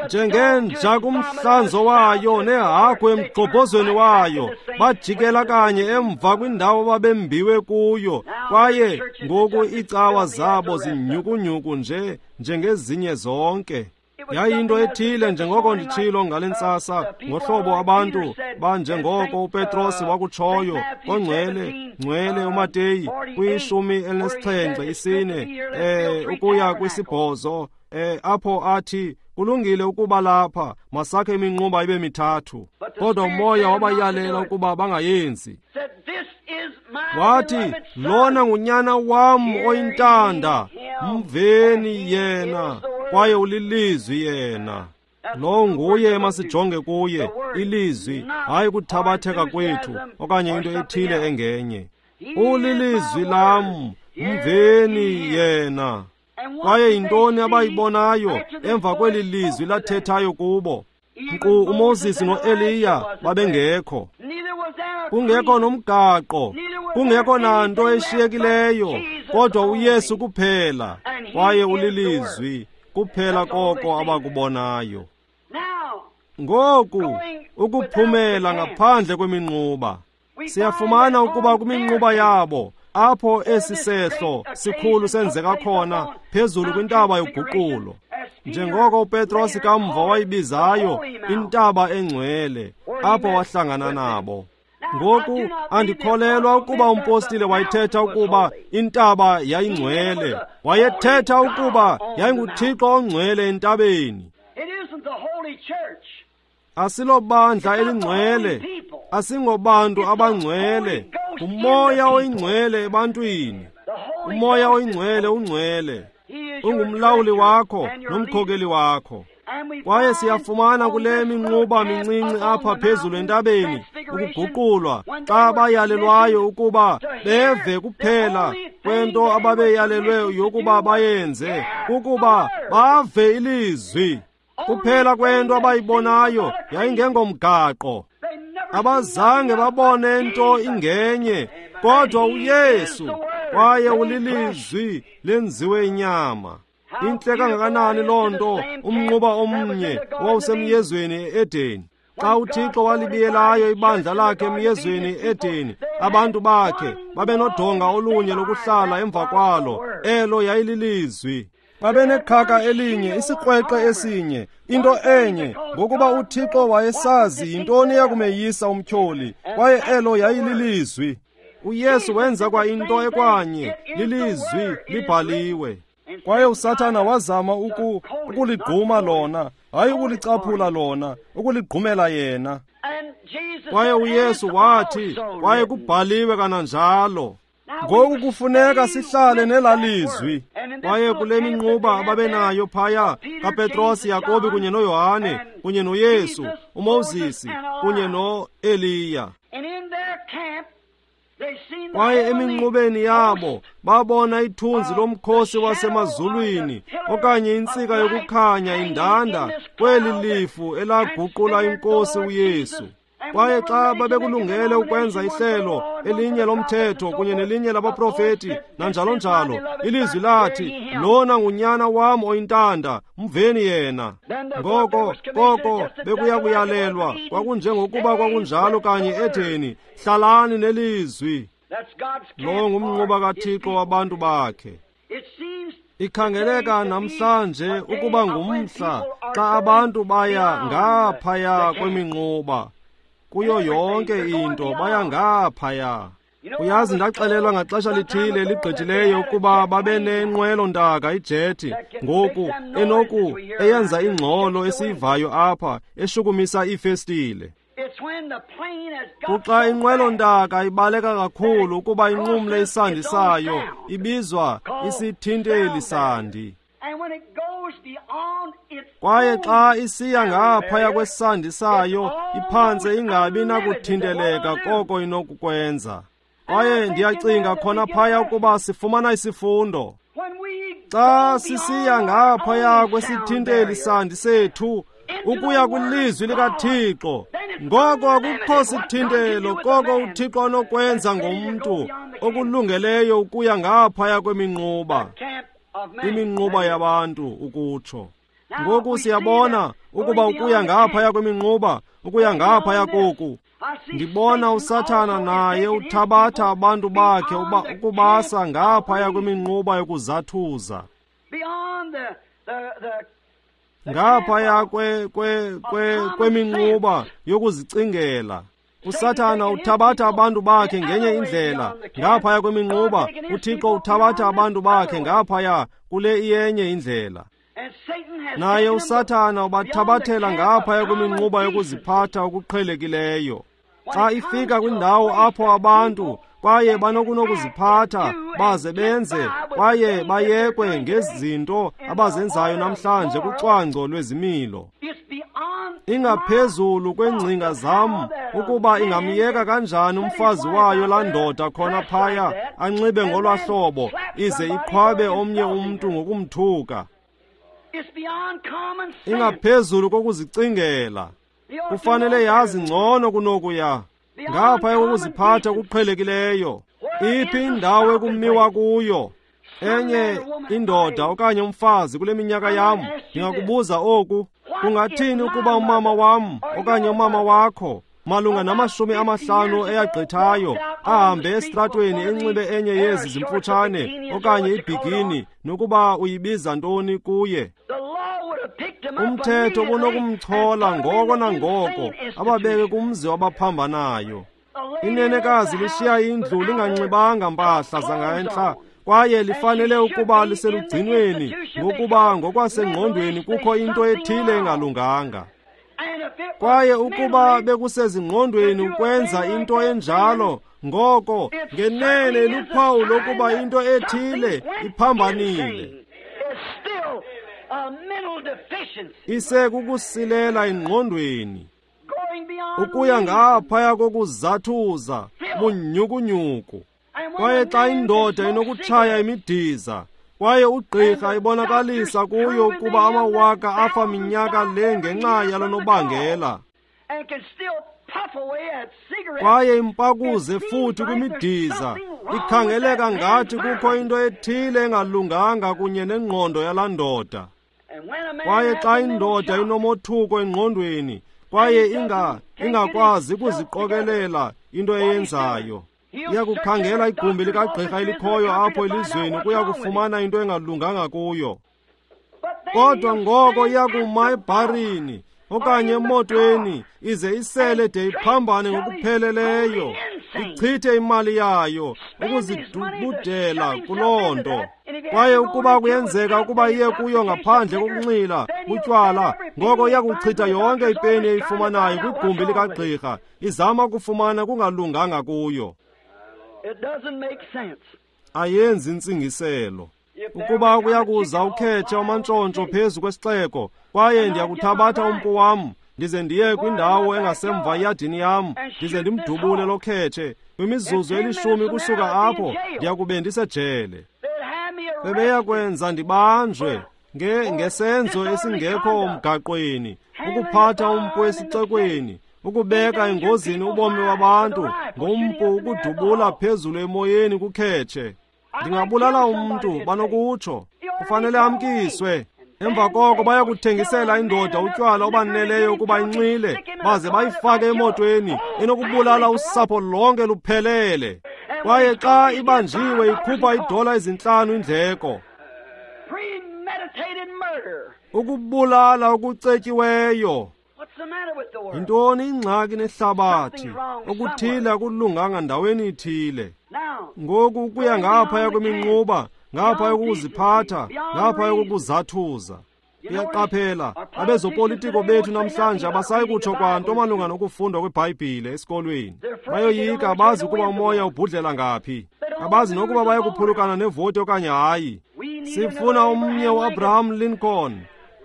Njengenja kumhlanzo wayo nehagu emgxobhozweni wayo, bajikela kanye emva kwindawo babembiwe kuyo, kwaye ngoku iicawa zabo zinyhukunyhuku nje njengezinye zonke. Yayinto ethile njengoko nditshilo ngale ntsasa, ngohlobo abantu banjengoko uPetros wakutshoyo kongcwele ngcwele uMateyu kwi-74 ukuya kwi-8, apho athi kulungile ukuba lapha, masakhe iminquba ibe mithathu. Kodwa uMoya wabayalela ukuba bangayenzi. Wathi, lona ngunyana wam oyintanda, mveni yena, kwaye ulilizwi yena. Lo nguye emasijonge kuye, ilizwi, hayi kuthabatheka kwethu okanye into ethile engenye. Ulilizwi lam, mveni yena. Kwaye yintoni abayibonayo emva kweli lizwi lathethayo kubo? Nkqu uMoses noEliya babengekho, kungekho nomgaqo, kungekho nanto eshiyekileyo, kodwa uYesu kuphela, kwaye ulilizwi kuphela koko abakubonayo. Ngoku ukuphumela ngaphandle kweminquba, siyafumana ukuba kwiminquba yabo apho esi sehlo sikhulu senzeka khona, phezulu kwintaba yoguqulo, njengoko uPetros kamva wayibizayo intaba engcwele, apho wahlangana nabo. Ngoku andikholelwa ukuba umpostile wayethetha ukuba intaba yayingcwele. Wayethetha ukuba yayinguThixo ongcwele entabeni. Asilobandla elingcwele, asingobantu abangcwele, nguMoya oyingcwele ebantwini. UMoya oyingcwele ungcwele, ungumlawuli wakho nomkhokeli wakho. Kwaye siyafumana kule minquba mincinci apha phezulu entabeni ukuguqulwa, xa bayalelwayo ukuba beve kuphela kwento ababeyalelwe yokuba bayenze, kukuba bave ilizwi. Kuphela kwento abayibonayo yayingengomgaqo. Abazange babone nto ingenye kodwa uYesu, kwaye ulilizwi lenziwe inyama. Intle kangakanani loo nto, umnquba omnye owawusemyezweni e-Edeni. Xa uThixo walibiyelayo ibandla lakhe emyezweni e-Edeni, abantu bakhe babenodonga olunye lokuhlala emva kwalo, elo yayililizwi. Babenekhaka elinye, isikrweqe esinye, into enye, ngokuba uThixo wayesazi yintoni eyakumeyisa umtyholi, kwaye elo yayililizwi. uYesu wenza kwa into ekwanye, lilizwi libhaliwe. Kwaye uSathana wazama ukuligquma lona, hayi ukulicaphula lona, ukuligqumela yena. Kwaye uYesu wathi, kwaye kubhaliwe kananjalo. Ngoku kufuneka sihlale nelalizwi. Kwaye kule minquba ababenayo phaya kaPetros, Yakobi kunye noYohane, kunye noYesu, uMoses kunye noEliya. Kwaye eminqubeni yabo babona ithunzi lomkhosi wasemazulwini, okanye intsika yokukhanya indanda kweli lifu elaguqula inkosi uYesu. Kwaye xa babekulungele ukwenza ihlelo elinye lomthetho kunye nelinye labaprofeti nanjalo njalo, ilizwi lathi, lona ngunyana wam oyintanda, mveni yena. Ngoko koko bekuya kuyalelwa, kwakunjengokuba kwakunjalo kanye etheni, hlalani nelizwi. Lo ngumnquba kaThixo wabantu bakhe. Ikhangeleka namhlanje ukuba ngumhla xa abantu baya ngaphaya kweminquba. Kuyo yonke into baya ngaphaya. Uyazi, ndaxelelwa ngaxesha lithile ligqithileyo ukuba babenenqwelo-ntaka ijethi ngoku enoku eyenza ingxolo esiyivayo apha, eshukumisa iifestile. Kuxa inqwelo-ntaka ibaleka kakhulu ukuba inqumle isandi sayo, ibizwa isithinteli sandi. Kwaye xa isiya ngaphaya kwesandi sayo, iphantse ingabi nakuthinteleka koko inokukwenza. Kwaye ndiyacinga khona phaya ukuba sifumana isifundo. Xa sisiya ngaphaya kwesithinteli sandi sethu, ukuya kwilizwi likaThixo, ngoko akukho sithintelo koko uThixo anokwenza ngomntu okulungeleyo ukuya ngaphaya kweminquba, iminquba yabantu ukutsho. Ngoku siyabona ukuba ukuya ngaphaya kweminquba, ukuya ngaphaya koku, ndibona uSathana naye uthabatha abantu bakhe ukubasa ngaphaya kweminquba yokuzathuza. Ngaphaya kweminquba yokuzicingela. USathana uthabatha abantu bakhe ngenye indlela ngaphaya kweminquba. UThixo uthabatha abantu bakhe ngaphaya kule iyenye indlela. Naye uSathana ubathabathela ngaphaya kweminquba yokuziphatha okuqhelekileyo. Xa ifika kwindawo apho abantu kwaye banokunokuziphatha baze benze kwaye bayekwe ngezinto abazenzayo namhlanje kucwangco lwezimilo. Ingaphezulu kwengcinga zam ukuba ingamyeka kanjani umfazi wayo laa ndoda khona phaya anxibe ngolwa hlobo ize iqhwabe omnye umntu ngokumthuka. Ingaphezulu kokuzicingela. Kufanele yazi ngcono kunokuya. Ngapha kokuziphatha okuqhelekileyo. Iphi indawo ekumiwa kuyo? Enye indoda okanye umfazi kule minyaka yam, ndingakubuza oku: kungathini ukuba umama wam okanye umama wakho malunga nama-50 eyagqithayo ahambe esitratweni enxibe enye yezi zimfutshane okanye ibhikini, nokuba uyibiza ntoni kuye? Umthetho unokumchola ngoko nangoko ababeke kumzi wabaphambanayo. Inenekazi lishiya indlu linganxibanga mpahla zangentla kwaye lifanele ukuba liselugcinweni ngokuba ngokwasengqondweni kukho into ethile engalunganga. Kwaye ukuba bekusezingqondweni ukwenza into enjalo, ngoko ngenene luphawu lokuba into ethile iphambanile. Isekukusilela engqondweni, ukuya ngaphaya kokuzathuza bunyukunyuku. Kwaye xa indoda inokutshaya imidiza kwaye ugqirha ibonakalisa kuyo ukuba amawaka afa minyaka le ngenxa yalo nobangela, kwaye impakuze futhi kwimidiza, ikhangeleka ngathi kukho into ethile engalunganga kunye nengqondo yalaa ndoda. Kwaye xa indoda inomothuko engqondweni kwaye ingakwazi ukuziqokelela into eyenzayo, iyakukhangela igumbi likagqirha elikhoyo apho elizweni kuya kufumana into engalunganga kuyo. Kodwa ngoko iyakuma ebharini okanye emotweni ize isele de iphambane ngokupheleleyo, ichithe imali yayo ukuzidubudela kuloo nto. Kwaye ukuba kuyenzeka ukuba iye kuyo ngaphandle kokunxila butywala, ngoko iyakuchitha yonke ipeni eyifumanayo kwigumbi likagqirha izama ukufumana kungalunganga kuyo. Ayenzi intsingiselo. Ukuba kuyakuza ukhetshe amantshontsho phezu kwesixeko, kwaye ndiyakuthabatha umpu wam ndize ndiye kwindawo engasemva yadini yam ndize ndimdubule lo khetshe, kwimizuzu eli-10 kusuka apho ndiyakube ndisejele. Bebeyakwenza ndibanjwe ngesenzo esingekho mgaqweni, ukuphatha umpu esixekweni, ukubeka engozini ubomi wabantu ngompu ukudubula phezulu emoyeni kukhetshe. Ndingabulala umntu, banokutsho. Kufanele amkiswe. Emva koko bayakuthengisela indoda utywala obaneleyo ukuba inxile, baze bayifake emotweni enokubulala usapho lonke luphelele. Kwaye xa ibanjiwe ikhupha $5 indleko. Ukubulala okucetyiweyo. Yintoni ingxaki nehlabathi? Okuthile akulunganga ndaweni ithile. Ngoku ukuya ngaphaya kweminquba, ngaphaya kokuziphatha, ngaphaya kokuzathuza. Uyaqaphela, abezopolitiko bethu namhlanje abasayi kutsho kwanto malunga nokufundwa kweBhayibhile esikolweni. Bayoyika, abazi ukuba umoya ubhudlela ngaphi. Abazi nokuba bayakuphulukana nevoti okanye hayi. Sifuna omnye uAbraham Lincoln.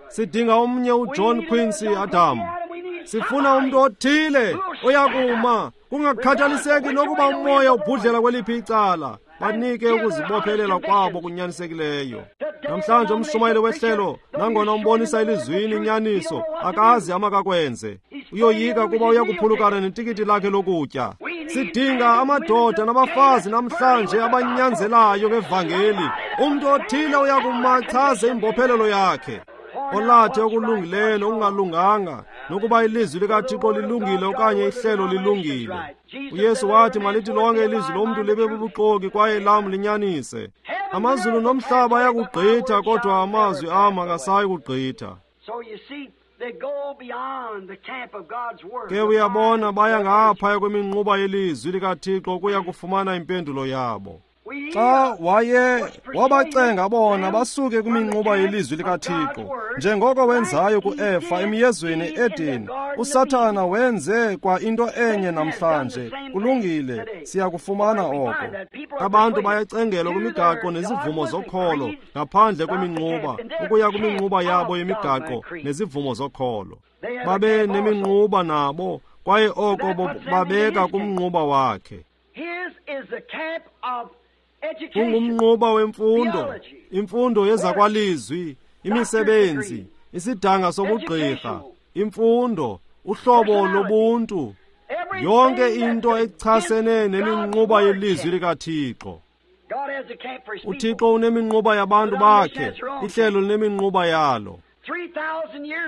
Sidinga omnye uJohn Quincy Adam. Sifuna umntu othile oyakuma kungakhathaliseki nokuba umoya ubhudlela kweliphi icala, banike ukuzibophelela kwabo kunyanisekileyo. Namhlanje umshumayeli wehlelo, nangona umbonisa elizwini inyaniso, akazi amakakwenze. Uyoyika kuba uyakuphulukana netikiti lakhe lokutya. Sidinga amadoda nabafazi namhlanje abanyanzelayo ngevangeli. Umntu othile uyakuma achaze imbophelelo yakhe, olathe okulungileyo nokungalunganga, nokuba ilizwi likaThixo lilungile okanye ihlelo lilungile. uYesu wathi malithi lonke ilizwi lomntu libe bubuxoki kwaye lam linyanise. Amazulu nomhlaba ayakugqitha, kodwa amazwi am akasayi kugqitha. Ke uyabona, baya ngaphaya kweminquba yelizwi likaThixo ukuya kufumana impendulo yabo. Xa waye wabacenga bona basuke kwiminquba yelizwi likaThixo, njengoko wenzayo kuEfa emyezweni e-Edeni, uSathana wenze kwa into enye namhlanje. Kulungile, siyakufumana oko. Abantu bayacengelwa kwimigaqo nezivumo zokholo ngaphandle kweminquba, ukuya kwiminquba yabo yemigaqo nezivumo zokholo. Babe neminquba nabo, kwaye oko babeka kumnquba wakhe. Kungumnquba wemfundo, imfundo yezakwalizwi, imisebenzi, isidanga sobugqirha, imfundo, uhlobo lobuntu, yonke into echasene neminquba yelizwi likaThixo. UThixo uneminquba yabantu bakhe, ihlelo lineminquba yalo.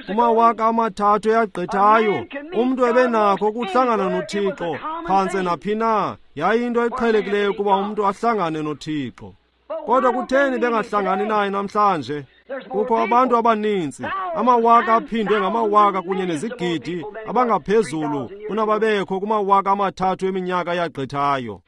Kumawaka 3 eyagqithayo, umntu ebenakho ukuhlangana noThixo phantse naphi na. Yayinto eqhelekileyo ukuba umntu ahlangane noThixo. Kodwa kutheni bengahlangani naye namhlanje? Kukho abantu abaninzi, amawaka aphindwe ngamawaka kunye nezigidi abangaphezulu kunababekho kumawaka 3 eminyaka eyagqithayo.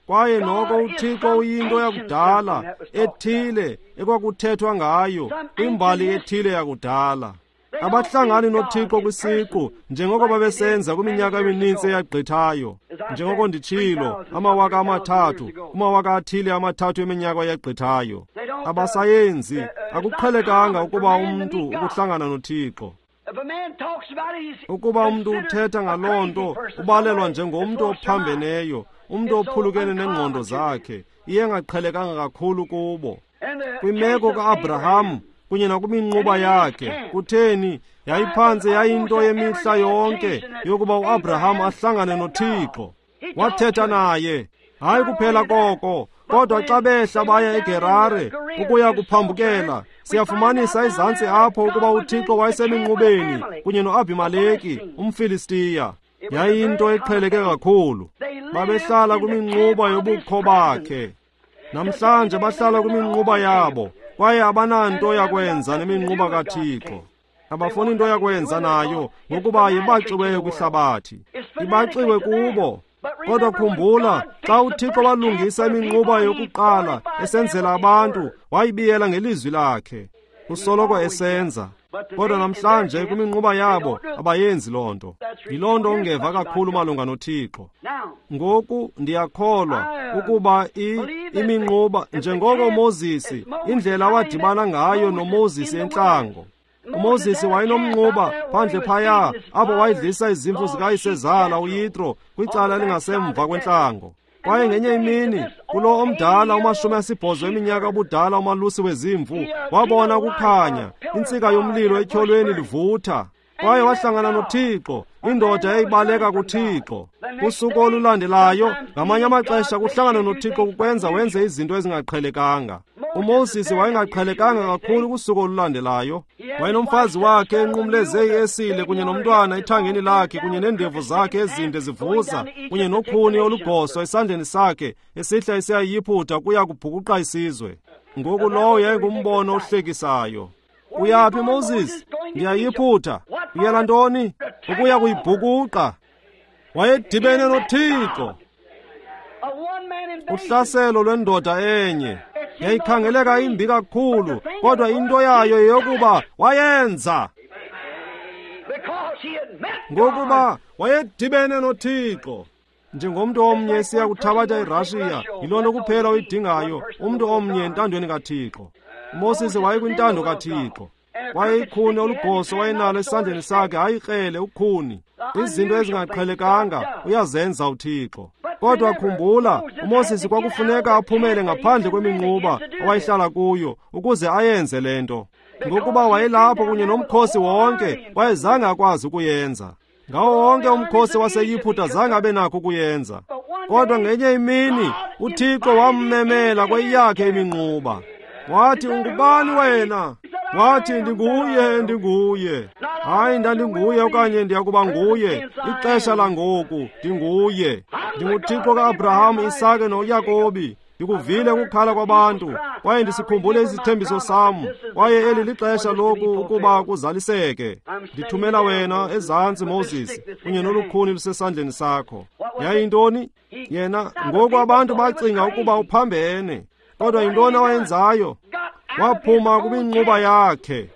Kwaye noko uThixo uyinto yakudala ethile ekwakuthethwa ngayo kwimbali ethile yakudala. Abahlangani noThixo kwisiqu njengoko babesenza kwiminyaka emininzi eyagqithayo. Njengoko nditshilo, amawaka 3, kumawaka athile 3 eminyaka eyagqithayo. Abasayenzi, akuqhelekanga ukuba umntu ukuhlangana noThixo. Ukuba umntu uthetha ngaloo nto, ubalelwa njengomntu ophambeneyo, umntu ophulukene nengqondo zakhe. Iye engaqhelekanga kakhulu kubo. Kwimeko ka-Abraham kunye nakuminquba yakhe, kutheni yayiphantse yayinto yemihla yonke yokuba uAbraham ahlangane noThixo. Wathetha naye, hayi kuphela koko, kodwa xa behla baya eGerare ukuya kuphambukela, siyafumanisa ezantsi apho ukuba uThixo wayeseminqubeni kunye noAbimeleki umFilistiya. Yayinto eqheleke kakhulu. Babehlala kwiminquba yobukho bakhe. Namhlanje bahlala kwiminquba yabo, kwaye abananto yakwenza neminquba kaThixo. Abafuni into yakwenza nayo, ngokuba yibaxiweyo kwihlabathi, ibaxiwe kubo. Kodwa khumbula, xa uThixo walungisa iminquba yokuqala esenzela abantu, wayibiyela ngelizwi lakhe. Usoloko esenza. Kodwa namhlanje kwiminquba yabo abayenzi loo nto. Yiloo nto ungeva kakhulu malunga noThixo. Ngoku ndiyakholwa ukuba iminquba, njengoko uMoses, indlela awadibana ngayo noMoses entlango. uMoses wayenomnquba phandle phaya apho wayedlisa izimvu zikayisezala uYitro kwicala elingasemva kwentlango. Kwaye ngenye imini kulo omdala 80 eminyaka ubudala umalusi wezimvu wabona ukukhanya, intsika yomlilo etyholweni livutha. Kwaye wahlangana noThixo, indoda eyayibaleka kuThixo. Kusuku olulandelayo, ngamanye amaxesha kuhlangana noThixo kukwenza wenze izinto ezingaqhelekanga. uMoses wayengaqhelekanga kakhulu kusuku olulandelayo. Wayenomfazi wakhe enqumleze iesile kunye nomntwana ethangeni lakhe kunye neendevu zakhe ezinde zivuza kunye nokhuni olugoso esandleni sakhe esihla esiyayiphutha kuya kubhukuqa isizwe. Ngoku lowo yayingumbono ohlekisayo. Uyaphi Moses? Ndiyayiphutha. Uyela ntoni? Ukuya kuyibhukuqa. Wayedibene noThixo. Uhlaselo lwendoda enye yayikhangeleka imbi kakhulu, kodwa into yayo yeyokuba wayenza ngokuba wayedibene noThixo. Njengomntu omnye esiya kuthabatha iRashiya, yiloo nto kuphela oyidingayo, umntu omnye entandweni kaThixo. uMoses wayekwintando kaThixo. Kwaye ikhuni olugoso wayenalo esandleni sakhe, hayi ikrele, ukhuni. Izinto ezingaqhelekanga uyazenza uThixo. Kodwa khumbula, uMoses kwakufuneka aphumele ngaphandle kweminquba awayehlala kuyo ukuze ayenze le nto. Ngokuba wayelapho kunye nomkhosi wonke, wayezange akwazi ukuyenza. Ngawo wonke umkhosi waseYiphutha zange abe nakho ukuyenza. Kodwa ngenye imini uThixo wammemela kweyakhe iminquba. Wathi, ungubani wena? Wathi, ndinguye, ndinguye. Hayi, ndandinguye okanye ndiyakuba nguye. Ixesha langoku, ndinguye. NdinguThixo ka-Abraham, Isake noYakobi. Ndikuvile ukukhala kwabantu, kwaye ndisikhumbule isithembiso sam, kwaye eli lixesha loku ukuba kuzaliseke. Ndithumela wena ezantsi, Moses, kunye nolukhuni lusesandleni sakho. Yayintoni? Yena, ngoku abantu bacinga ukuba uphambene. Kodwa yintoni awayenzayo? Waphuma kwiminquba yakhe.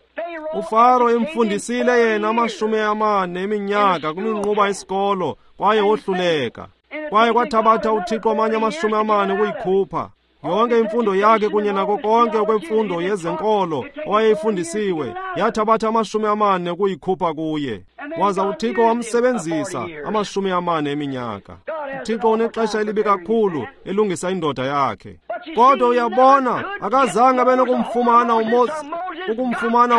UFaro emfundisile yena 40 eminyaka kwiminquba yesikolo, kwaye wohluleka. Kwaye kwathabatha uThixo amanye 40 ukuyikhupha. Yonke imfundo yakhe kunye nako konke okwemfundo yezenkolo owayeyifundisiwe yathabatha 40 ukuyikhupha kuye. Waza uThixo wamsebenzisa 40 eminyaka. uThixo unexesha elibi kakhulu elungisa indoda yakhe. Kodwa uyabona, akazange abe nokumfumana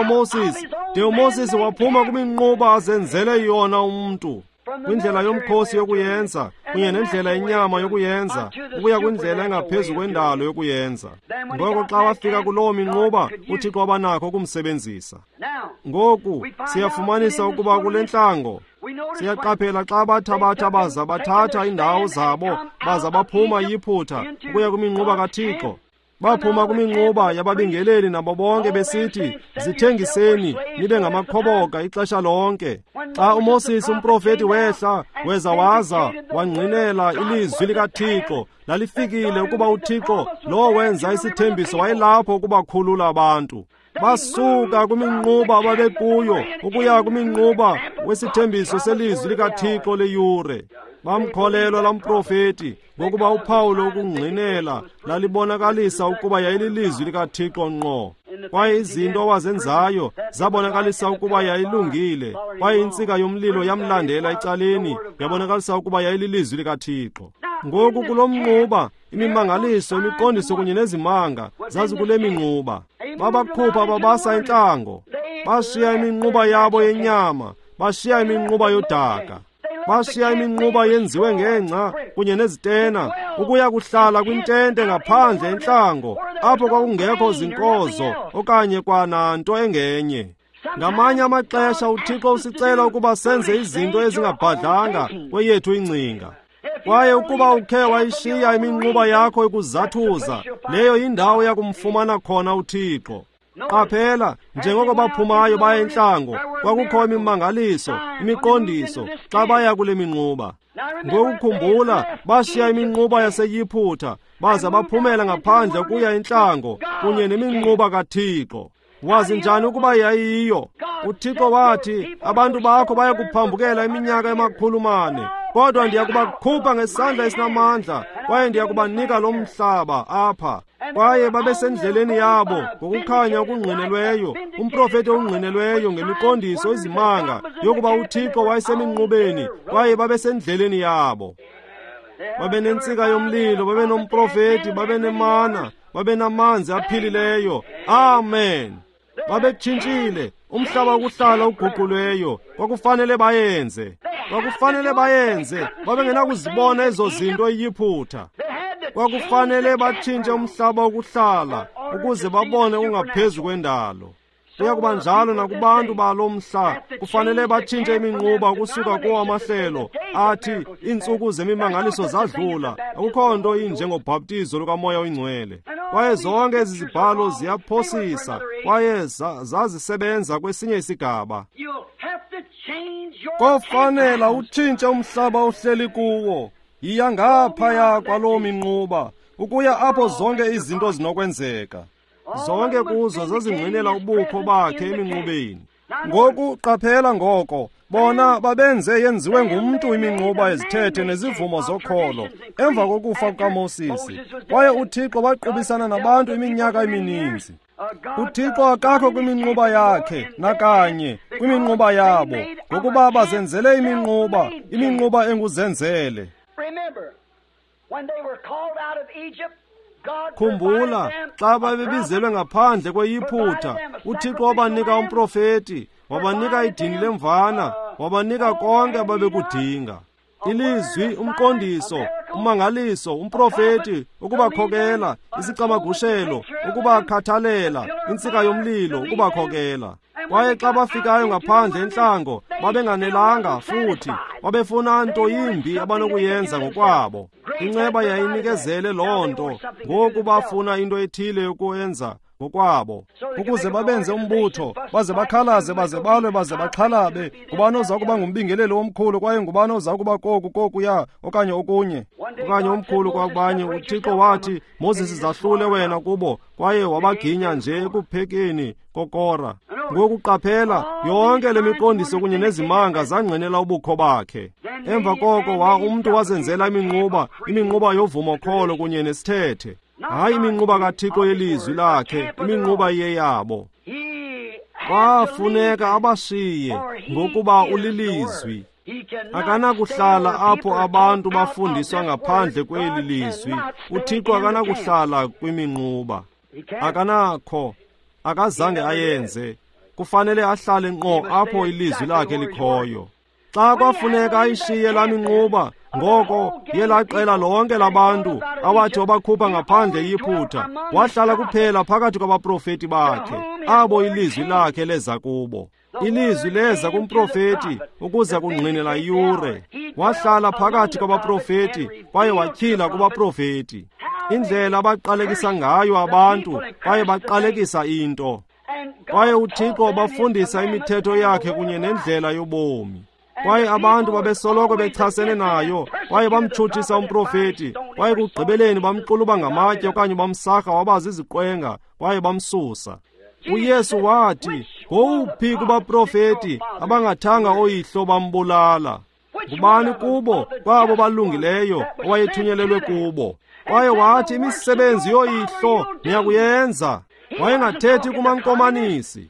uMoses, de uMoses waphuma kwiminquba azenzele yona umntu. Kwindlela yomkhosi yokuyenza, kunye nendlela yenyama yokuyenza, ukuya kwindlela engaphezu kwendalo yokuyenza. Ngoko xa wafika kuloo minquba, uThixo wabanakho ukumsebenzisa. Ngoku siyafumanisa ukuba kule ntlango, siyaqaphela xa bathabatha baza bathatha iindawo zabo baza baphuma yiphutha ukuya kwiminquba kaThixo. Baphuma kwiminquba yababingeleli nabo bonke besithi, zithengiseni nibe ngamakhoboka ixesha lonke. Xa uMoses umprofeti wehla weza waza wangqinela ilizwi likaThixo, lalifikile ukuba uThixo lo wenza isithembiso wayelapho ukubakhulula abantu. Basuka kwiminquba ababekuyo ukuya kwiminquba wesithembiso selizwi likaThixo leyure. Bamkholelwa laa mprofeti, ngokuba uphawu lokungqinela lalibonakalisa ukuba yayililizwi likaThixo ngqo. Kwaye izinto awazenzayo zabonakalisa ukuba yayilungile, kwaye intsika yomlilo yamlandela ecaleni, yabonakalisa ukuba yayililizwi likaThixo. Ngoku kulo mnquba, imimangaliso, imiqondiso kunye nezimanga zazikule minquba. Babakhupha babasa entlango, bashiya iminquba yabo yenyama, bashiya iminquba yodaka, bashiya iminquba yenziwe ngengca kunye nezitena, ukuya kuhlala kwintente ngaphandle entlango, apho kwakungekho zinkozo okanye kwananto engenye. Ngamanye amaxesha uThixo usicela ukuba senze izinto ezingabhadlanga kweyethu ingcinga. Kwaye ukuba ukhe wayishiya iminquba yakho ikuzathuza, leyo yindawo yakumfumana khona uThixo. Qaphela, njengoko baphumayo baya entlango, kwakukho imimangaliso, imiqondiso xa baya kule minquba. Ngokukhumbula, bashiya iminquba yaseYiphutha baza baphumela ngaphandle ukuya entlango kunye neminquba kaThixo. Wazi njani ukuba yayiyo? uThixo wathi, abantu bakho baya kuphambukela iminyaka 400, kodwa ndiya kubakhupha ngesandla esinamandla, kwaye ndiya kubanika lo mhlaba apha. Kwaye babesendleleni yabo ngokukhanya okungqinelweyo, umprofeti ongqinelweyo ngemiqondiso izimanga yokuba uThixo wayeseminqubeni, kwaye babesendleleni yabo. Babenentsika yomlilo, babenomprofeti, babenemana, babenamanzi aphilileyo. Amen. Babetshintshile umhlaba wokuhlala uguqulweyo. Kwakufanele bayenze, kwakufanele bayenze. Babengenakuzibona ezo zinto eYiphutha. Kwakufanele batshintshe umhlaba wokuhlala ukuze babone ungaphezu kwendalo. Kuya kuba njalo nakubantu balo mhla, kufanele batshintshe iminquba ukusuka kuwo amahlelo athi iintsuku zemimangaliso zadlula, akukho nto injengobhaptizo lukaMoya oyiNgcwele. Kwaye zonke ezi zibhalo ziyaphosisa, kwaye zazisebenza kwesinye isigaba. Kofanela utshintshe umhlaba ohleli kuwo. Yiya ngaphaya kwaloo minquba, ukuya apho zonke izinto zinokwenzeka. Zonke kuzo zazingqinela ubukho bakhe eminqubeni. Ngoku qaphela ngoko, bona babenze yenziwe ngumntu iminquba ezithethe nezivumo zokholo emva kokufa kukaMoses. Kwaye uThixo waqubisana nabantu iminyaka emininzi. uThixo akakho kwiminquba yakhe nakanye kwiminquba yabo, ngokuba bazenzele iminquba, iminquba enguzenzele. Khumbula, xa babebizelwe ngaphandle kweYiphutha, uThixo wabanika umprofeti, wabanika idini lemvana, wabanika konke ababekudinga. Ilizwi, umqondiso, ummangaliso, umprofeti, ukubakhokela, isicamagushelo, ukubakhathalela, intsika yomlilo, ukubakhokela. Kwaye xa bafikayo ngaphandle entlango, babenganelanga futhi, Babefuna nto yimbi abanokuyenza ngokwabo. Inceba yayinikezele loo nto. Ngoku bafuna into ethile yokuyenza ngokwabo, ukuze babenze umbutho, baze bakhalaze, baze balwe, baze baxhalabe. Ngubani oza kuba ngumbingeleli omkhulu, kwaye ngubani oza kuba koku kokuya okanye okunye okanye omkhulu kwabanye? UThixo wathi, Moses, zahlule wena kubo, kwaye wabaginya nje ekuphekeni koKora. Ngoku qaphela, yonke le miqondiso kunye nezimanga zangqinela ubukho bakhe. Emva koko umntu wazenzela iminquba, iminquba yovumokholo kunye nesithethe. Hayi iminquba kaThixo yelizwi lakhe, iminquba iyeyabo. Kwafuneka abashiye, ngokuba ulilizwi. Akanakuhlala apho abantu bafundiswa ngaphandle kweli lizwi. UThixo akanakuhlala kwiminquba. Akanakho, akazange ayenze. Kufanele ahlale ngqo apho ilizwi lakhe likhoyo. Xa kwafuneka ayishiye laa minquba, ngoko yelaa qela lonke labantu awathi wabakhupha ngaphandle eYiputa, wahlala kuphela phakathi kwabaprofeti bakhe, abo ilizwi lakhe leza kubo. Ilizwi leza kumprofeti ukuza kungqinela iyure. Wahlala phakathi kwabaprofeti kwaye watyhila kubaprofeti indlela abaqalekisa ngayo abantu, kwaye baqalekisa into. Kwaye uThixo wabafundisa imithetho yakhe kunye nendlela yobomi. Kwaye abantu babesoloko bechasene nayo, kwaye bamtshutshisa umprofeti, kwaye kugqibeleni bamxuluba ngamatye okanye bamsarha waba ziziqwenga, kwaye bamsusa. UYesu wathi, ngowuphi kubaprofeti abangathanga oyihlo bambulala? Ngubani kubo kwabo balungileyo owayethunyelelwe kubo? Kwaye wathi, imisebenzi yoyihlo niyakuyenza. Wayengathethi kumankomanisi,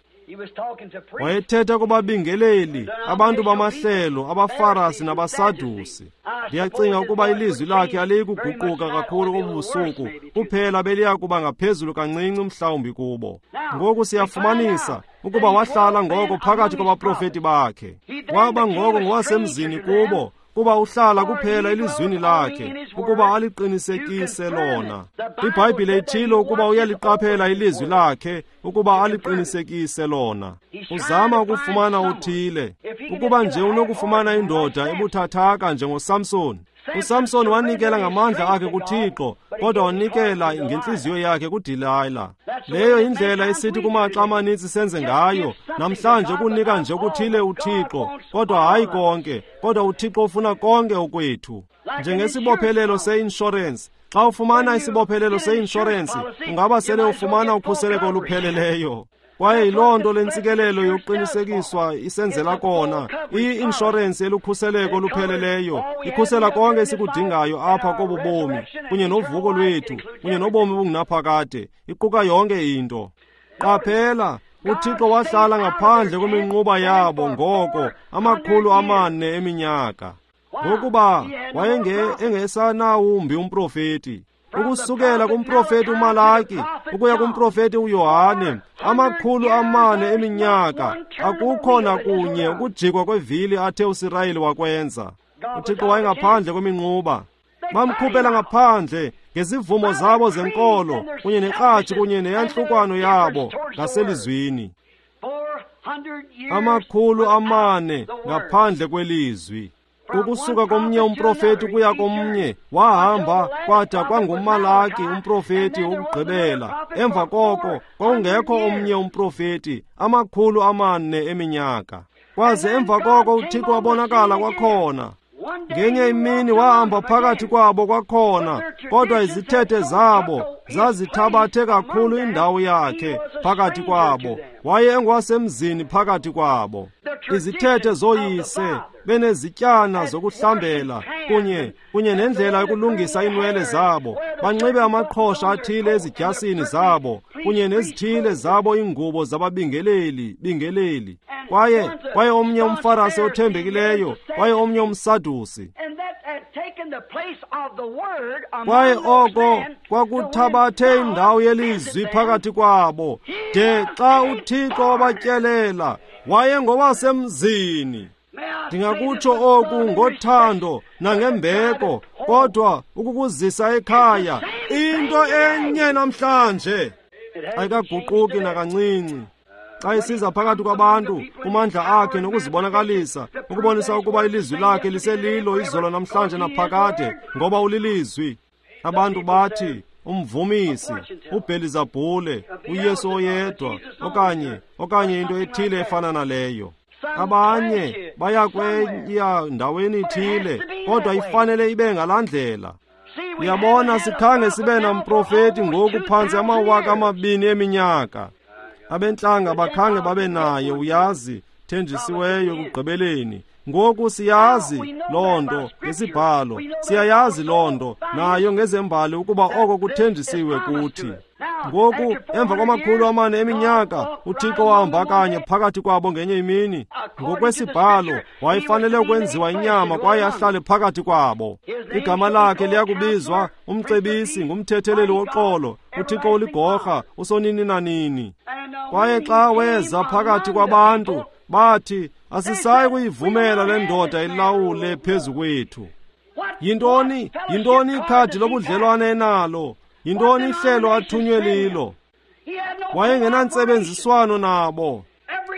wayethetha kubabingeleli, abantu bamahlelo, abaFarasi nabaSadusi. Ndiyacinga ukuba ilizwi lakhe aliyi kuguquka kakhulu kobu busuku, kuphela beliya kuba ngaphezulu kancinci mhlawumbi kubo. Ngoku siyafumanisa ukuba wahlala ngoko phakathi kwabaprofeti bakhe. Waba ngoko ngowasemzini kubo, kuba uhlala kuphela elizwini lakhe ukuba aliqinisekise lona. IBhayibhile ithilo ukuba uyaliqaphela ilizwi lakhe ukuba aliqinisekise lona. Uzama ukufumana uthile, ukuba nje unokufumana indoda ebuthathaka njengoSamson. USamson wanikela ngamandla akhe kuThixo, kodwa wanikela ngentliziyo yakhe kuDelila. Leyo indlela esithi kumaxa amaninzi senze ngayo namhlanje, ukunika nje okuthile uThixo, kodwa hayi konke. Kodwa uThixo ufuna konke okwethu. Njengesibophelelo seinshorensi, xa ufumana isibophelelo seinshorensi, ungaba sele ufumana ukhuseleko olupheleleyo. Kwaye yiloo nto le ntsikelelo yokuqinisekiswa isenzela kona. Iyi-inshorensi elukhuseleko olupheleleyo, ikhusela konke esikudingayo apha kobu bomi, kunye novuko lwethu, kunye nobomi obungunaphakade, iquka yonke into. Qaphela, uThixo wahlala ngaphandle kweminquba yabo ngoko 400 eminyaka, ngokuba wayengesanawumbi umprofeti. Ukusukela kumprofeti uMalaki ukuya kumprofeti uYohane, 400 eminyaka, akukho nakunye ukujikwa kwevili athe uSirayeli wakwenza. uThixo wayengaphandle kweminquba. Bamkhuphela ngaphandle ngezivumo zabo zenkolo kunye nekratshi kunye neyantlukwano yabo ngaselizwini. 400 ngaphandle kwelizwi. Ukusuka komnye umprofeti kuya komnye, wahamba kwada kwanguMalaki umprofeti wokugqibela. Emva koko kwakungekho omnye umprofeti 400 eminyaka. Kwaze emva koko uThixo wabonakala kwakhona. Ngenye imini wahamba phakathi kwabo kwakhona, kodwa izithethe zabo zazithabathe kakhulu indawo yakhe phakathi kwabo. Waye engowasemzini phakathi kwabo. Izithethe zoyise benezityana zokuhlambela kunye nendlela yokulungisa iinwele zabo, banxibe amaqhosha athile ezidyasini zabo kunye nezithile zabo iingubo zababingeleli bingeleli. Kwaye omnye umFarasi othembekileyo, kwaye omnye umSadusi. Kwaye oko kwakuthabathe indawo yelizwi phakathi kwabo, de xa uThixo wabatyelela, wayengowasemzini. Ndingakutsho oku ngothando nangembeko, kodwa ukukuzisa ekhaya, into enye namhlanje ayikaguquki nakancinci. Xa isiza phakathi kwabantu, kumandla akhe nokuzibonakalisa, ukubonisa ukuba ilizwi lakhe liselilo izolo namhlanje naphakade, ngoba ulilizwi. Abantu bathi umvumisi, uBhelizabhule, uYesu oyedwa, okanye into ethile efana naleyo. Abanye baya kweya ndaweni ithile, kodwa ifanele ibe ngalaa ndlela. Uyabona, sikhange sibe namprofeti ngoku phantsi 2000 eminyaka. Abentlanga bakhange babe naye, uyazi, thenjisiweyo ekugqibeleni. Ngoku siyazi loo nto ngesibhalo, siyayazi loo nto nayo ngezembali ukuba oko kuthenjisiwe kuthi. Ngoku emva kwama-400 eminyaka, uThixo wahamba kanye phakathi kwabo ngenye imini. Ngokwesibhalo wayefanele ukwenziwa inyama kwaye ahlale phakathi kwabo. Igama lakhe liyakubizwa umcebisi, ngumthetheleli woxolo, uThixo uligorha, usonini nanini. Kwaye xa weza phakathi kwabantu, bathi asisayi kuyivumela le ndoda ilawule phezu kwethu. Yintoni ikhadi lobudlelwane enalo? Yintoni ihlelo athunywe lilo? Wayengenantsebenziswano nabo.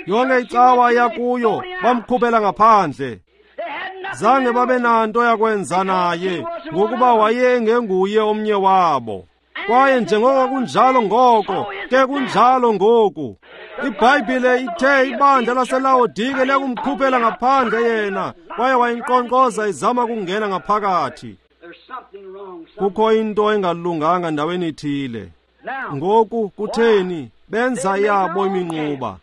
Yonke icawa yakuyo bamkhuphela ngaphandle. Zange babe nanto yakwenza naye, ngokuba wayengenguye omnye wabo. Kwaye njengoko kunjalo ngoko, ke kunjalo ngoku. IBhayibhile ithe ibandla laseLawodike liyakumkhuphela ngaphandle yena, kwaye wayinkqonkqoza izama kungena ngaphakathi. Kukho into engalunganga ndaweni ithile. Ngoku kutheni benza yabo iminquba?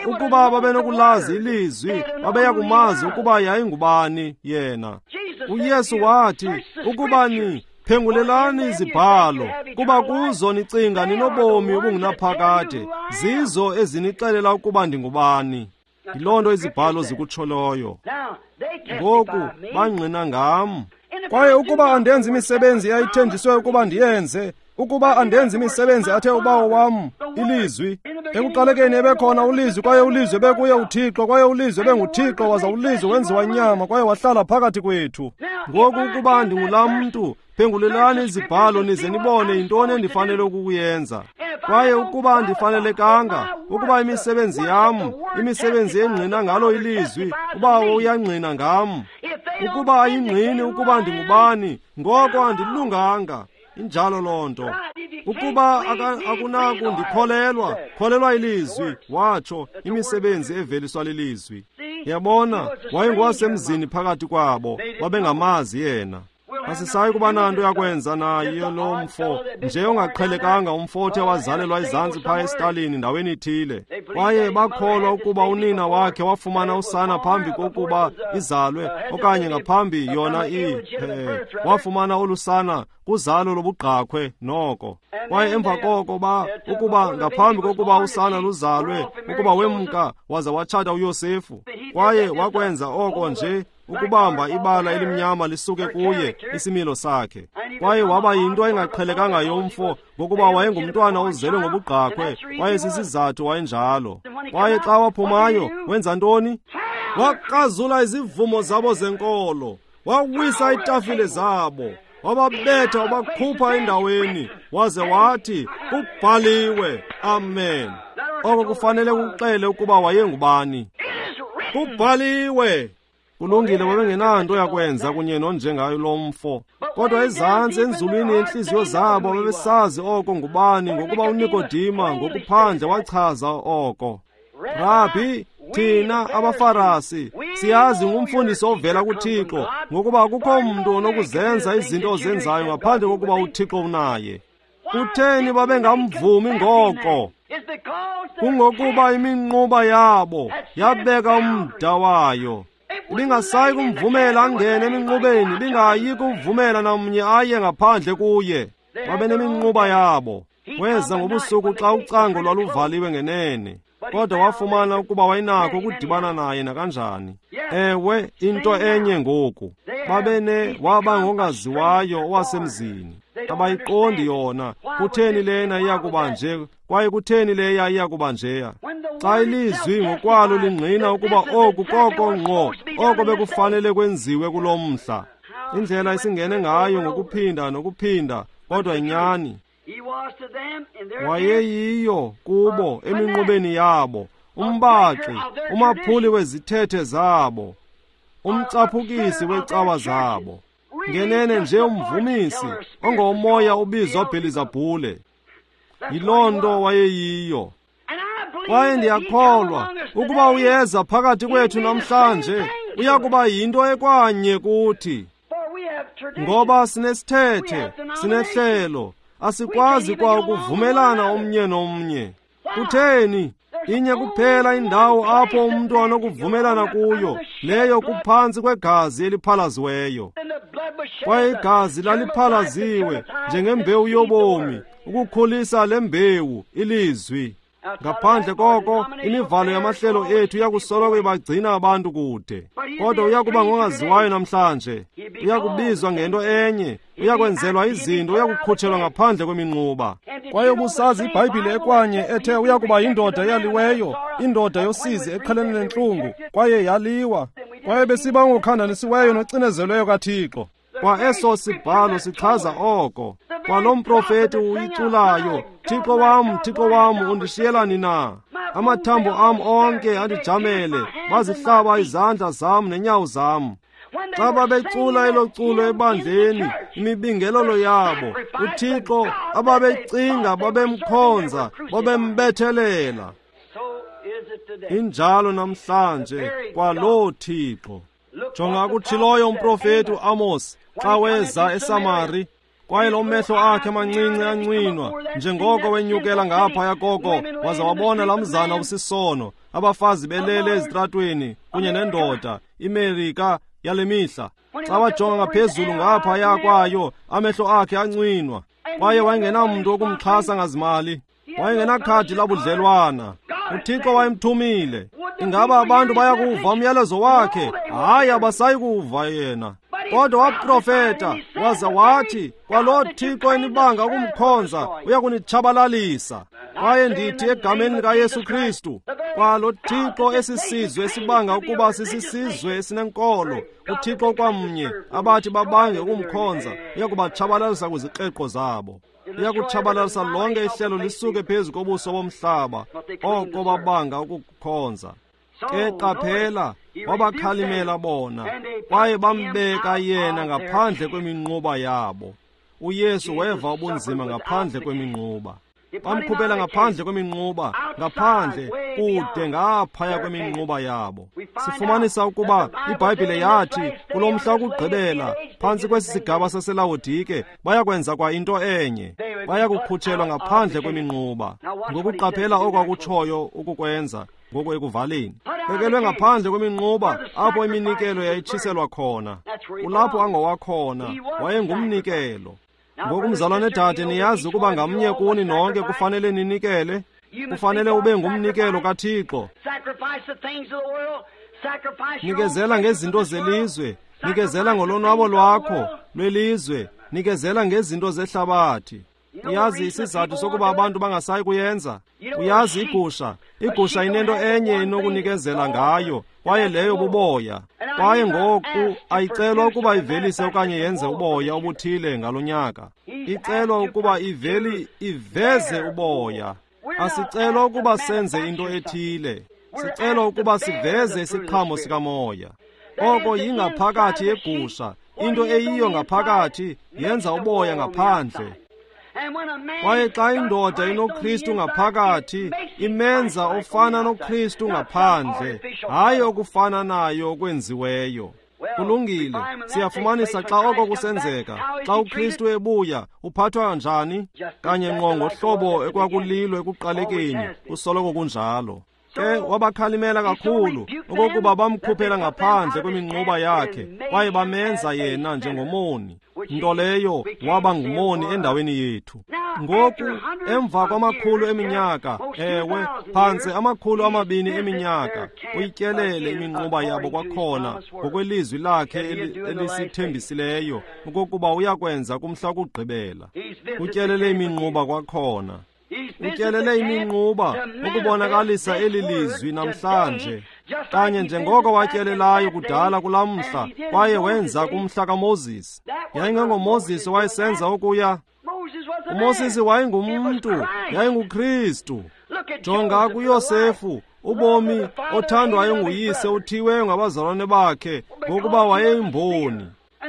Ukuba babenokulazi ilizwi, babeya kumazi ukuba yayingubani yena. uYesu wathi, ukuba ni phengulelani izibhalo, kuba kuzo nicinga ninobomi obungunaphakade, zizo ezinixelela ukuba ndingubani. Yiloo nto izibhalo zikutsholoyo. Ngoku bangqina ngam. Kwaye ukuba andenzi imisebenzi eyayithenjiswe ukuba ndiyenze, ukuba andenzi imisebenzi athe uBawo wam, ilizwi. Ekuqalekeni ebekhona ulizwi, kwaye ulizwi ebekuye uThixo, kwaye ulizwi ebenguThixo, waza ulizwi wenziwa inyama kwaye wahlala phakathi kwethu. Ngoku ukuba ndingulaa mntu, phengulelani izibhalo nize nibone yintoni endifanele ukuyenza. Kwaye ukuba andifanelekanga, ukuba imisebenzi yam, imisebenzi engqina ngalo ilizwi, uBawo uyangqina ngam. Ukuba ayingqini ukuba ndingubani, ngoko andilunganga. Injalo loo nto. Ukuba akunakundikholelwa, kholelwa ilizwi, watsho, imisebenzi eveliswa lilizwi. Yabona, wayengowasemzini phakathi kwabo, babengamazi yena. Asisayi kuba nanto yakwenza naye lo mfo, nje ongaqhelekanga umfo othe wazalelwa ezantsi phaya esitalini ndaweni ithile. Kwaye bakholwa ukuba unina wakhe wafumana usana phambi kokuba izalwe, okanye ngaphambi yona wafumana olusana kuzalo lobugqakhwe noko. Kwaye emva koko ukuba ngaphambi kokuba usana luzalwe, ukuba wemka waza watshata uYosefu. Kwaye wakwenza oko nje ukubamba ibala elimnyama lisuke kuye isimilo sakhe. Kwaye waba yinto engaqhelekanga yomfo, ngokuba wayengumntwana ozelwe ngobugqakhwe, kwaye sisizathu wayenjalo. Kwaye xa waphumayo, wenza ntoni? Wakrazula izivumo zabo zenkolo, wawisa iitafile zabo, wababetha, wabakhupha endaweni, waze wathi, kubhaliwe, amen. Oko kufanele kuxele ukuba wayengubani. Kubhaliwe. Kulungile, babengenanto yakwenza kunye nonjengayo lo mfo. Kodwa ezantsi enzulwini yentliziyo zabo babesazi oko ngubani, ngokuba uNikodima ngokuphandle wachaza oko. Rabbi, thina abaFarasi siyazi ngumfundisi ovela kuThixo, ngokuba akukho mntu onokuzenza izinto ozenzayo ngaphandle kokuba uThixo unaye. Kutheni babengamvumi ngoko? Kungokuba iminquba yabo yabeka umda wayo. Ibingasayi kumvumela angene eminqubeni, ibingayi kumvumela namnye aye ngaphandle kuye. Babeneminquba yabo. Weza ngobusuku xa ucango lwaluvaliwe ngenene, kodwa wafumana ukuba wayenakho ukudibana naye nakanjani. Ewe, into enye ngoku. Babene waba ngongaziwayo owasemzini. Abayiqondi yona. Kutheni lena iyakuba nje, kwaye kutheni leya iyakuba njeya? Xa ilizwi ngokwalo lingqina ukuba oku koko ngqo oko bekufanele kwenziwe kulo mhla. Indlela esingene ngayo ngokuphinda nokuphinda, kodwa inyani. Wayeyiyo kubo eminqubeni yabo, umbaxi, umaphuli wezithethe zabo, umcaphukisi wecawa zabo, ngenene nje umvumisi ongomoya obizwa Bhelizabhule. Yiloo nto wayeyiyo. Kwaye ndiyakholwa ukuba uyeza phakathi kwethu namhlanje, uya kuba yinto ekwanye kuthi, ngoba sinesithethe, sinehlelo, asikwazi kwa ukuvumelana omnye nomnye. Kutheni? Inye kuphela indawo apho umntu anokuvumelana kuyo, leyo kuphantsi kwegazi eliphalaziweyo. Kwaye igazi laliphalaziwe njengembewu yobomi, ukukhulisa le mbewu, ilizwi. Ngaphandle koko, imivalo yamahlelo ethu iyakusoloko ibagcina abantu kude. Kodwa uyakuba ngongaziwayo namhlanje, uyakubizwa ngento enye, uyakwenzelwa izinto, uyakukhutshelwa ngaphandle kweminquba. Kwaye ubusazi iBhayibhile ekwanye ethe uyakuba yindoda eyaliweyo, indoda yosizi eqhelene nentlungu, kwaye yaliwa. Kwaye besiba ngokhandanisiweyo nocinezelweyo kaThixo. Kwa eso sibhalo sichaza oko. Kwalo mprofeti uyiculayo, Thixo wam, Thixo wam, undishiyelani na? Amathambo am onke andijamele, bazihlaba izandla zam nenyawo zam. Xa babecula elo culo ebandleni, imibingelelo yabo, uThixo ababecinga babemkhonza, babembethelela. Injalo namhlanje kwaloo Thixo. Jonga akutshiloyo umprofeti uAmos xa weza eSamari, kwaye lo mehlo akhe mancinci ancinwa njengoko wenyukela ngaphaya koko, waza wabona laa mzana usisono, abafazi belele ezitratweni kunye nendoda, iMerika yale mihla. Xa wajonga ngaphezulu ngaphaya kwayo, amehlo akhe ancinwa, kwaye wayengenamntu wokumxhasa ngazimali, wayengenakhadi labudlelwana. UThixo wayemthumile. Ingaba abantu bayakuva umyalezo wakhe? Hayi, abasayi kuva yena. Kodwa waprofeta waza wathi, kwaloo Thixo enibanga ukumkhonza uyakunitshabalalisa. Kwaye ndithi egameni likaYesu Kristu, kwalo Thixo esisizwe esibanga ukuba sisisizwe esinenkolo, uThixo kwamnye abathi babange ukumkhonza uyakubatshabalalisa kwizikreqo zabo. Uyakutshabalalisa lonke ihlelo lisuke phezu kobuso bomhlaba, oko babanga ukukukhonza. Ke qaphela, wabakhalimela bona, kwaye bambeka yena ngaphandle kweminquba yabo. uYesu weva ubunzima ngaphandle kweminquba. Bamkhuphela ngaphandle kweminquba, ngaphandle kude ngaphaya kweminquba yabo. Sifumanisa ukuba iBhayibhile yathi kulo mhla wokugqibela, phantsi kwesi sigaba saseLawodike, bayakwenza kwa into enye, bayakukhutshelwa ngaphandle kweminquba. Ngokuqaphela oko akutshoyo ukukwenza ngoku ekuvaleni, bekelwe ngaphandle kweminquba apho iminikelo yayitshiselwa khona. Kulapho angowakhona, wayengumnikelo. Ngoku mzalwane dade, niyazi ukuba ngamnye kuni nonke kufanele ninikele. Kufanele ube ngumnikelo kaThixo. Nikezela ngezinto zelizwe, nikezela ngolonwabo lwakho lwelizwe, nikezela ngezinto zehlabathi. Uyazi isizathu sokuba abantu bangasayi kuyenza? Uyazi igusha inento enye enokunikezela ngayo, kwaye leyo buboya. Kwaye ngoku ayicelwa ukuba ivelise okanye yenze uboya obuthile ngalo nyaka. Icelwa ukuba iveze uboya. Asicelwa ukuba senze into ethile. Sicelwa ukuba siveze isiqhamo sikamoya. Oko yingaphakathi yegusha. Into eyiyo ngaphakathi yenza uboya ngaphandle. Kwaye xa indoda inoKristu ngaphakathi, imenza ofana noKristu ngaphandle, hayi okufana nayo okwenziweyo. Kulungile, siyafumanisa xa oko kusenzeka, xa uKristu ebuya, uphathwa njani? Kanye ngqo ngohlobo ekwakulilo ekuqalekeni, kusoloko kunjalo. Ke wabakhalimela kakhulu okokuba bamkhuphela ngaphandle kweminquba yakhe, kwaye bamenza yena njengomoni, nto leyo waba ngumoni endaweni yethu. Ngoku emva kwamakhulu eminyaka, ewe, phantse 200 eminyaka, uyityelele iminquba yabo kwakhona ngokwelizwi lakhe elisithembisileyo okokuba uyakwenza kumhla wokugqibela. Utyelele iminquba kwakhona. Utyelele iminquba ukubonakalisa eli lizwi namhlanje, kanye njengoko watyelelayo kudala kulaa mhla, kwaye wenza kumhla kaMoses. YayingengoMoses owayesenza okuya. UMosisi wayengumntu, yayinguKristu. Jonga kuYosefu, ubomi othandwayo nguyise uthiweyo ngabazalwane bakhe ngokuba wayeyimboni.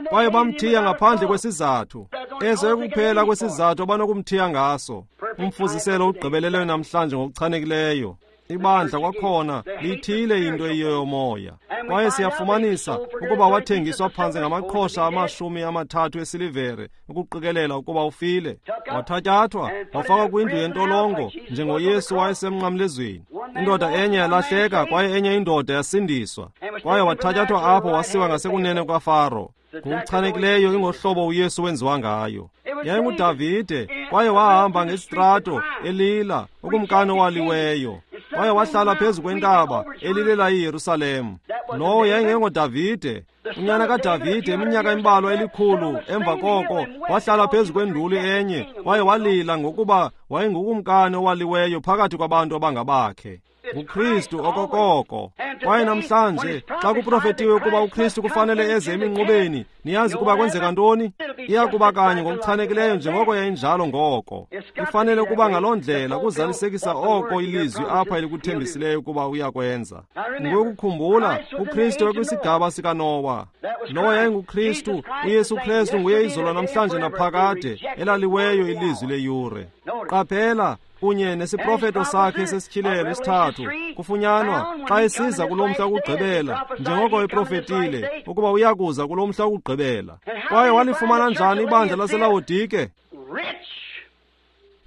Kwaye bamthiya ngaphandle kwesizathu. Eso ekuphela kwesizathu abanokumthiya ngaso. Umfuziselo ugqibeleleyo namhlanje ngokuchanekileyo. Ibandla kwakhona lithile into eyiyo yomoya. Kwaye siyafumanisa ukuba wathengiswa phantsi ngamaqhosha 30 esilivere ukuqikelela ukuba ufile. Wathatyathwa wafakwa kwindlu yentolongo njengoYesu wayesemnqamlezweni. Indoda enye yalahleka kwaye enye indoda yasindiswa. Kwaye wathatyathwa apho wasiwa ngasekunene kwaFaro. Ngokuchanekileyo ingohlobo uYesu wenziwa ngayo. YayinguDavide, kwaye wahamba ngesitrato elila, ukumkani owaliweyo. Kwaye wahlala phezu kwentaba elilela iYerusalem. Lowo yayingengoDavide, unyana kaDavide, iminyaka embalwa elikhulu emva koko wahlala phezu kwenduli enye kwaye walila ngokuba wayengukumkani owaliweyo phakathi kwabantu abangabakhe. NguKristu okokoko. Kwaye namhlanje xa kuprofetiwe ukuba uKristu kufanele eze eminqubeni, niyazi ukuba kwenzeka ntoni? Iya kuba kanye ngokuchanekileyo njengoko yayinjalo ngoko. Ifanele ukuba ngaloo ndlela kuzalisekisa oko ilizwi apha elikuthembisileyo ukuba uyakwenza. Ngokukhumbula, uKristu ekwisigaba sikaNowa. Lowo yayinguKristu, uYesu Kristu nguye izolo namhlanje naphakade, elaliweyo ilizwi leyure. Qaphela, kunye nesiprofeto sakhe sesityhilelo isithathu kufunyanwa xa esiza kulo mhla wokugqibela, njengoko eprofetile ukuba uyakuza kulo mhla wokugqibela. Kwaye walifumana njani ibandla laseLawodike?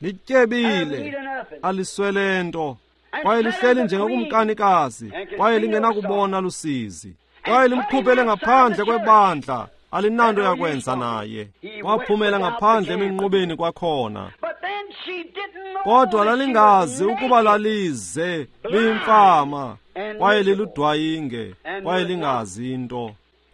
Lityebile, aliswele nto, kwaye lihleli njengokumkanikazi, kwaye lingenakubona lusizi. Kwaye limkhuphele ngaphandle kwebandla, alinanto yakwenza naye. Waphumela ngaphandle eminqubeni kwakhona. Kodwa lalingazi ukuba lalize liyimfama, kwaye liludwayinge, kwaye lingazi into.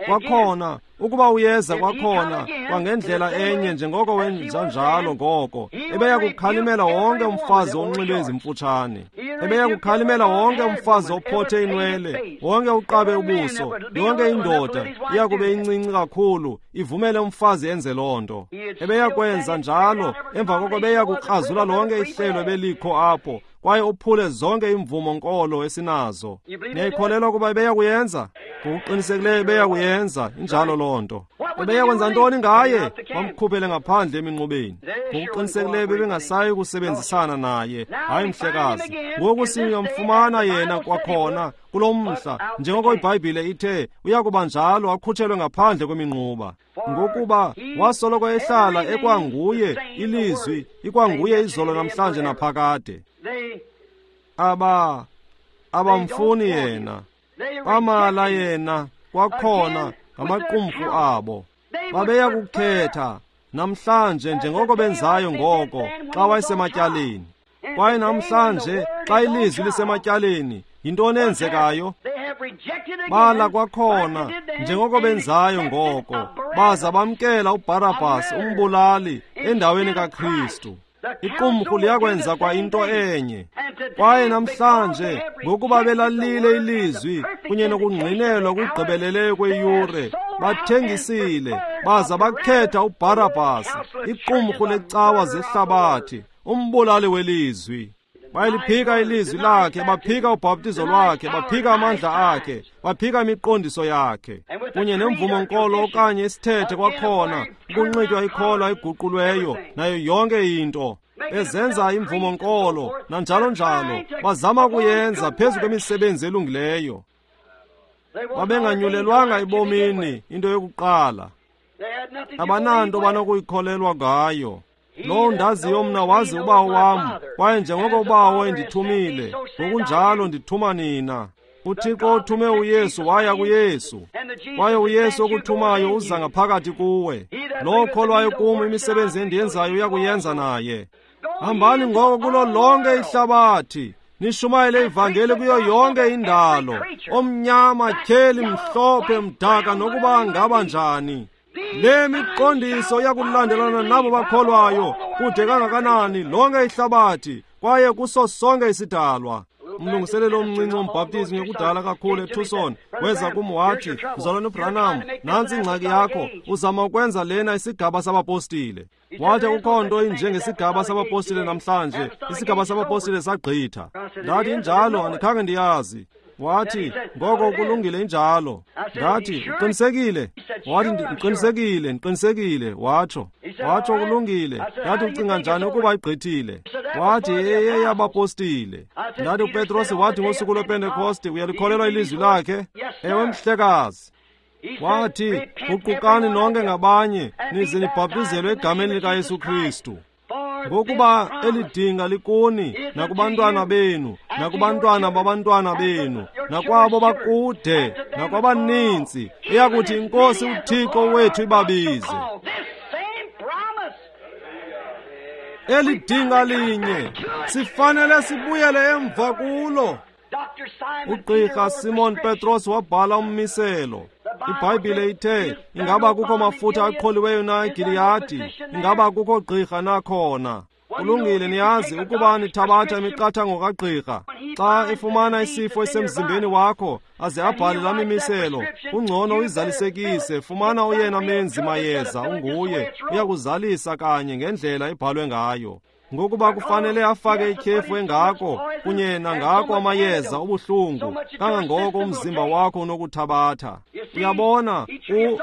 Kwakhona, ukuba uyeza kwakhona kwangendlela enye njengoko wenza njalo ngoko, ebeya kukhalimela wonke umfazi onxibe ezimfutshane, ebeya kukhalimela wonke umfazi ophothe inwele, wonke uqabe ubuso, yonke indoda iya kube incinci kakhulu ivumele umfazi enze loo nto. Ebeya kwenza njalo, emva koko ebeya kukrazula lonke ihlelo ebelikho apho, kwaye uphule zonke imvumo nkolo esinazo. Niyayikholelwa ukuba ebeya kuyenza? Ngokuqinisekileyo ebeya kuyenza, injalo loo nto. Ebeya kwenza ntoni ngaye? Bamkhuphele ngaphandle eminqubeni. Ngokuqinisekileyo bebengasayi kusebenzisana naye. Hayi mhlekazi. Ngoku siyamfumana yena kwakhona kulo mhla, njengoko iBhayibhile ithe uya kuba njalo, akhutshelwe ngaphandle kweminquba. Ngokuba wasoloko ehlala ekwanguye ilizwi, ikwanguye izolo namhlanje naphakade. Abamfuni yena, bamala yena kwakhona ngamaqumrhu abo. Babeya kukhetha namhlanje njengoko benzayo ngoko xa wayesematyaleni. Kwaye namhlanje xa ilizwi lisematyaleni, yintoni eyenzekayo? Bala kwakhona njengoko benzayo ngoko, baza bamkela uBharabhas umbulali endaweni kaKristu. Iqumrhu liyakwenza kwa into enye. Kwaye namhlanje ngokuba belalile ilizwi kunye nokungqinelwa kugqibeleleyo kweyure, bathengisile baza bakhetha uBharabhas, iqumrhu lecawa zehlabathi, umbulali welizwi. Bayaliphika ilizwi lakhe, baphika ubhaptizo lwakhe, baphika amandla akhe, baphika imiqondiso yakhe, kunye nemvumo-nkolo okanye isithethe kwakhona, ukunxitywa ikholwa eguqulweyo, nayo yonke into. Bezenza imvumo-nkolo, nanjalo njalo, bazama ukuyenza phezu kwemisebenzi elungileyo. Babenganyulelwanga ebomini into yokuqala. Abananto banokuyikholelwa ngayo. Lowo ndaziyo mna wazi ubawo wam, kwaye njengoko ubawo endithumile, ngokunjalo ndithuma nina. UThixo othume uYesu waya kuYesu, kwaye uYesu okuthumayo uza ngaphakathi kuwe. Lowo okholwayo kum, imisebenzi endiyenzayo uyakuyenza naye. Hambani ngoko kulo lonke ihlabathi, nishumayele ivangeli kuyo yonke indalo, omnyama, tyheli, mhlophe, mdaka, nokuba ngaba njani. Le miqondiso iyakulandelana nabo bakholwayo kude kangakanani lonke ihlabathi, kwaye kuso sonke isidalwa. Umlungiseleli omncinci wombhaptizi ngekudala kakhulu eTucson weza kum wathi, Mzalwana uBranham, nantsi ingxaki yakho, uzama ukwenza lena isigaba sabapostile. Wathi akukho nto injengesigaba sabapostile namhlanje, isigaba sabapostile sagqitha. Ndathi injalo, andikhange ndiyazi. Wathi, ngoko kulungile injalo. Ndathi, uqinisekile? Wathi, ndiqinisekile, ndiqinisekile, watsho. Watsho kulungile. Ndathi, ucinga njani ukuba igqithile? Wathi, eyeyabapostile. Ndathi, uPetros wathi ngosuku lwePentekoste, uyalikholelwa ilizwi lakhe? Ewe, mhlekazi. Wathi, guqukani nonke ngabanye, nize nibhaptizelwe egameni likaYesu Kristu. Ngokuba eli dinga likuni, nakubantwana benu, nakubantwana babantwana benu, nakwabo bakude, nakwabaninzi, eyakuthi iNkosi uThixo wethu ibabize. Eli dinga linye, sifanele sibuyele emva kulo. Ugqirha Simon Petros wabhala ummiselo. IBhayibhile ithe, ingaba kukho mafutha aqholiweyo na eGiliyadi? Ingaba kukho gqirha na khona? Kulungile, niyazi ukuba nithabatha imiqathango kagqirha. Xa efumana isifo esemzimbeni wakho, aze abhale laa mimiselo, kungcono uyizalisekise. Fumana oyena menzi mayeza unguye, uyakuzalisa kanye ngendlela ebhalwe ngayo. Ngokuba kufanele afake ityhefu engako kunye nangako amayeza obuhlungu kangangoko umzimba wakho unokuthabatha. Uyabona,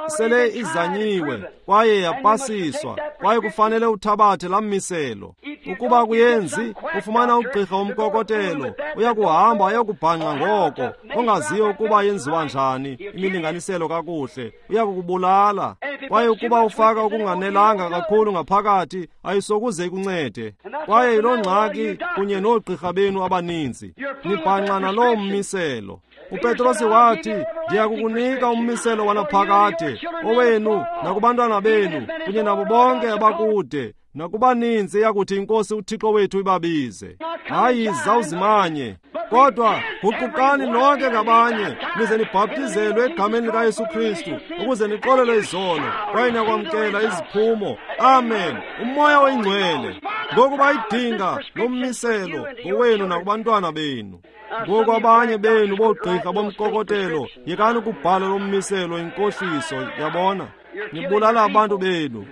sele izanyiwe kwaye yapasiswa, kwaye kufanele uthabathe laa mmiselo. Ukuba kuyenzi, ufumana ugqirha womkokotelo, uyakuhamba ayokubhanxa ngoko, ongaziyo ukuba yenziwa njani imilinganiselo kakuhle, uyakukubulala. Kwaye ukuba ufaka okunganelanga kakhulu ngaphakathi, ayisokuze ikuncede. Kwaye yiloo ngxaki kunye noogqirha benu abaninzi, nibhanxa naloo mmiselo. uPetrosi wathi, ndiyakukunika ummiselo wanaphakade, owenu nakubantwana benu kunye nabo bonke abakude, nakubaninzi eyakuthi iNkosi uThixo wethu ibabize. Hayi, zawuzimanye, kodwa guqukani nonke ngabanye, nize nibhaptizelwe egameni likaYesu Kristu ukuze nixolelwe izono, kwaye niyakwamkela iziphumo. Amen. UMoya oyiNgcwele. Ngokuba idinga lommiselo ngowenu nakubantwana benu. Ngoku abanye benu boogqirha bomkokotelo, yekani ukubhala lo mmiselo inkohliso, yabona. Nibulala abantu benu.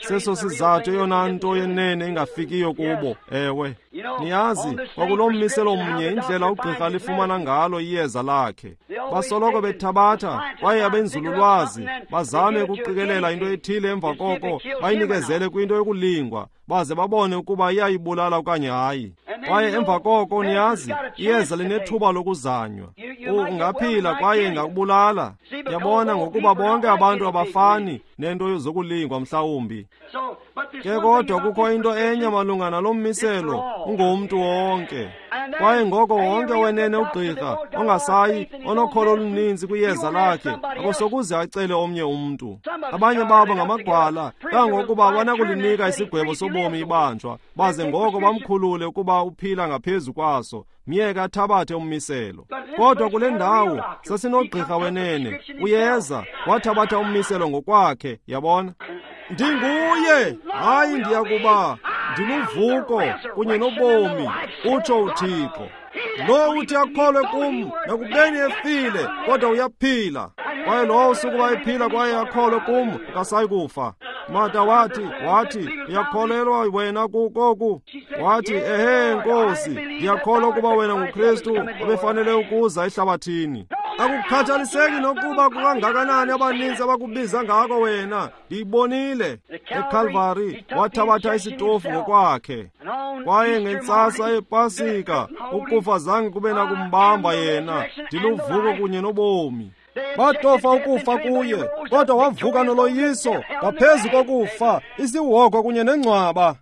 Seso sizathu eyona nto yenene ingafikiyo kubo. Ewe, niyazi, kwakulo mmiselo mnye indlela ugqirha lifumana ngalo iyeza lakhe. Basoloko bethabatha, kwaye abenzululwazi bazame ukuqikelela into ethile, emva koko bayinikezele kwinto yokulingwa, baze babone ukuba iyayibulala okanye hayi. Kwaye emva koko niyazi, iyeza linethuba lokuzanywa. Ungaphila kwaye ingakubulala. Yabona, ngokuba bonke abantu abafani nento zokulingwa mhlawumbi. Ke kodwa kukho into enye malunga nalo mmiselo, ungumntu wonke. Kwaye ngoko wonke wenene ugqirha ongasayi onokholo oluninzi kwiyeza lakhe akosokuze acele omnye umntu. Abanye babo ngamagwala, kangangokuba banakulinika isigwebo sobomi ibanjwa, baze ngoko bamkhulule ukuba uphila ngaphezu kwaso, myeke athabathe ummiselo. Kodwa kule ndawo sasinogqirha wenene, uyeza wathabatha ummiselo ngokwakhe, yabona. Ndinguye, hayi ndiyakuba, ndiluvuko kunye nobomi, utsho uThixo. Lo uthi akholwe kum, nakubeni efile, kodwa uyaphila. Kwaye lowo usukuba ephila kwaye akholwe kum, akasayi kufa. Marta wathi, uyakholelwa wena koku? Wathi, ehe Nkosi, ndiyakholwa ukuba wena nguKristu obefanele ukuza ehlabathini. Akukhathaliseki nokuba kukangakanani abaninzi abakubiza ngako wena, ndiyibonile. EKalvari wathabatha isitofu ngokwakhe. Kwaye ngentsasa yePasika ukufa zange kube nakumbamba yena, ndiluvuko kunye nobomi. Batofa ukufa kuye, kodwa wavuka noloyiso ngaphezu kokufa, isihogo kunye nengcwaba.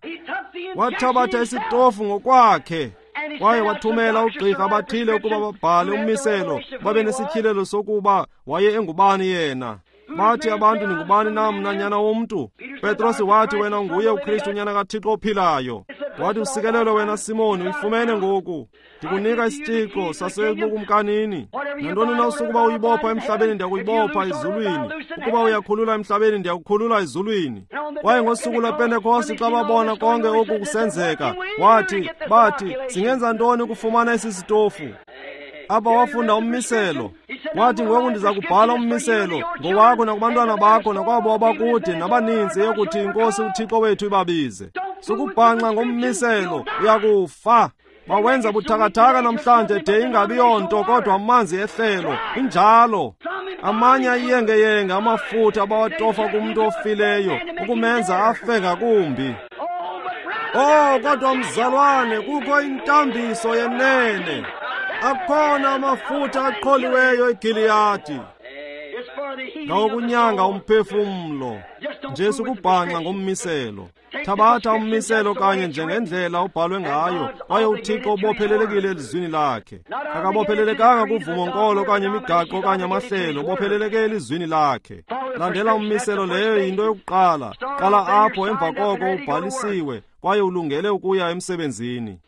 Wathabatha isitofu ngokwakhe. Kwaye wathumela ugqirha abathile ukuba babhale ummiselo, babe nesityhilelo sokuba waye engubani yena. Bathi abantu, ningubani na mna nyana womntu? Petrosi wathi, wena nguye uKristu unyana kaThixo ophilayo. Wathi, usikelelwe wena Simoni, uyifumene ngoku. Ndikunika isitshixo sasebukumkanini. Nantoni na usukuba uyibopha emhlabeni, ndiyakuyibopha ezulwini. Ukuba uyakhulula emhlabeni, ndiyakukhulula ezulwini. Kwaye ngosuku lwePentekoste xa babona konke oku kusenzeka, wathi, bathi, singenza ntoni ukufumana esi sitofu? Apha wafunda ummiselo. Wathi, ngoku ndiza kubhala ummiselo ngowakho nakubantwana bakho nakwabo abakude nabaninzi eyokuthi iNkosi uThixo wethu ibabize. Sukubhanxa ngommiselo, uyakufa. Bawenza buthakathaka namhlanje de ingabi yonto kodwa amanzi ehlelo. Injalo. Amanye ayiyengeyenge amafutha abawatofa kumntu ofileyo ukumenza afe ngakumbi. Oh, kodwa mzalwane, kukho intambiso yenene. Akhona amafutha aqholiweyo eGiliyadi ngawokunyanga umphefumlo. Nje sukubhanxa ngommiselo. Thabatha ummiselo kanye njengendlela ubhalwe ngayo, kwaye uThixo ubophelelekile elizwini lakhe. Akabophelelekanga kuvumo-nkolo okanye imigaqo okanye amahlelo, ubopheleleke elizwini lakhe. Landela ummiselo, leyo yinto yokuqala. Qala apho, emva koko ubhalisiwe kwaye ulungele ukuya emsebenzini.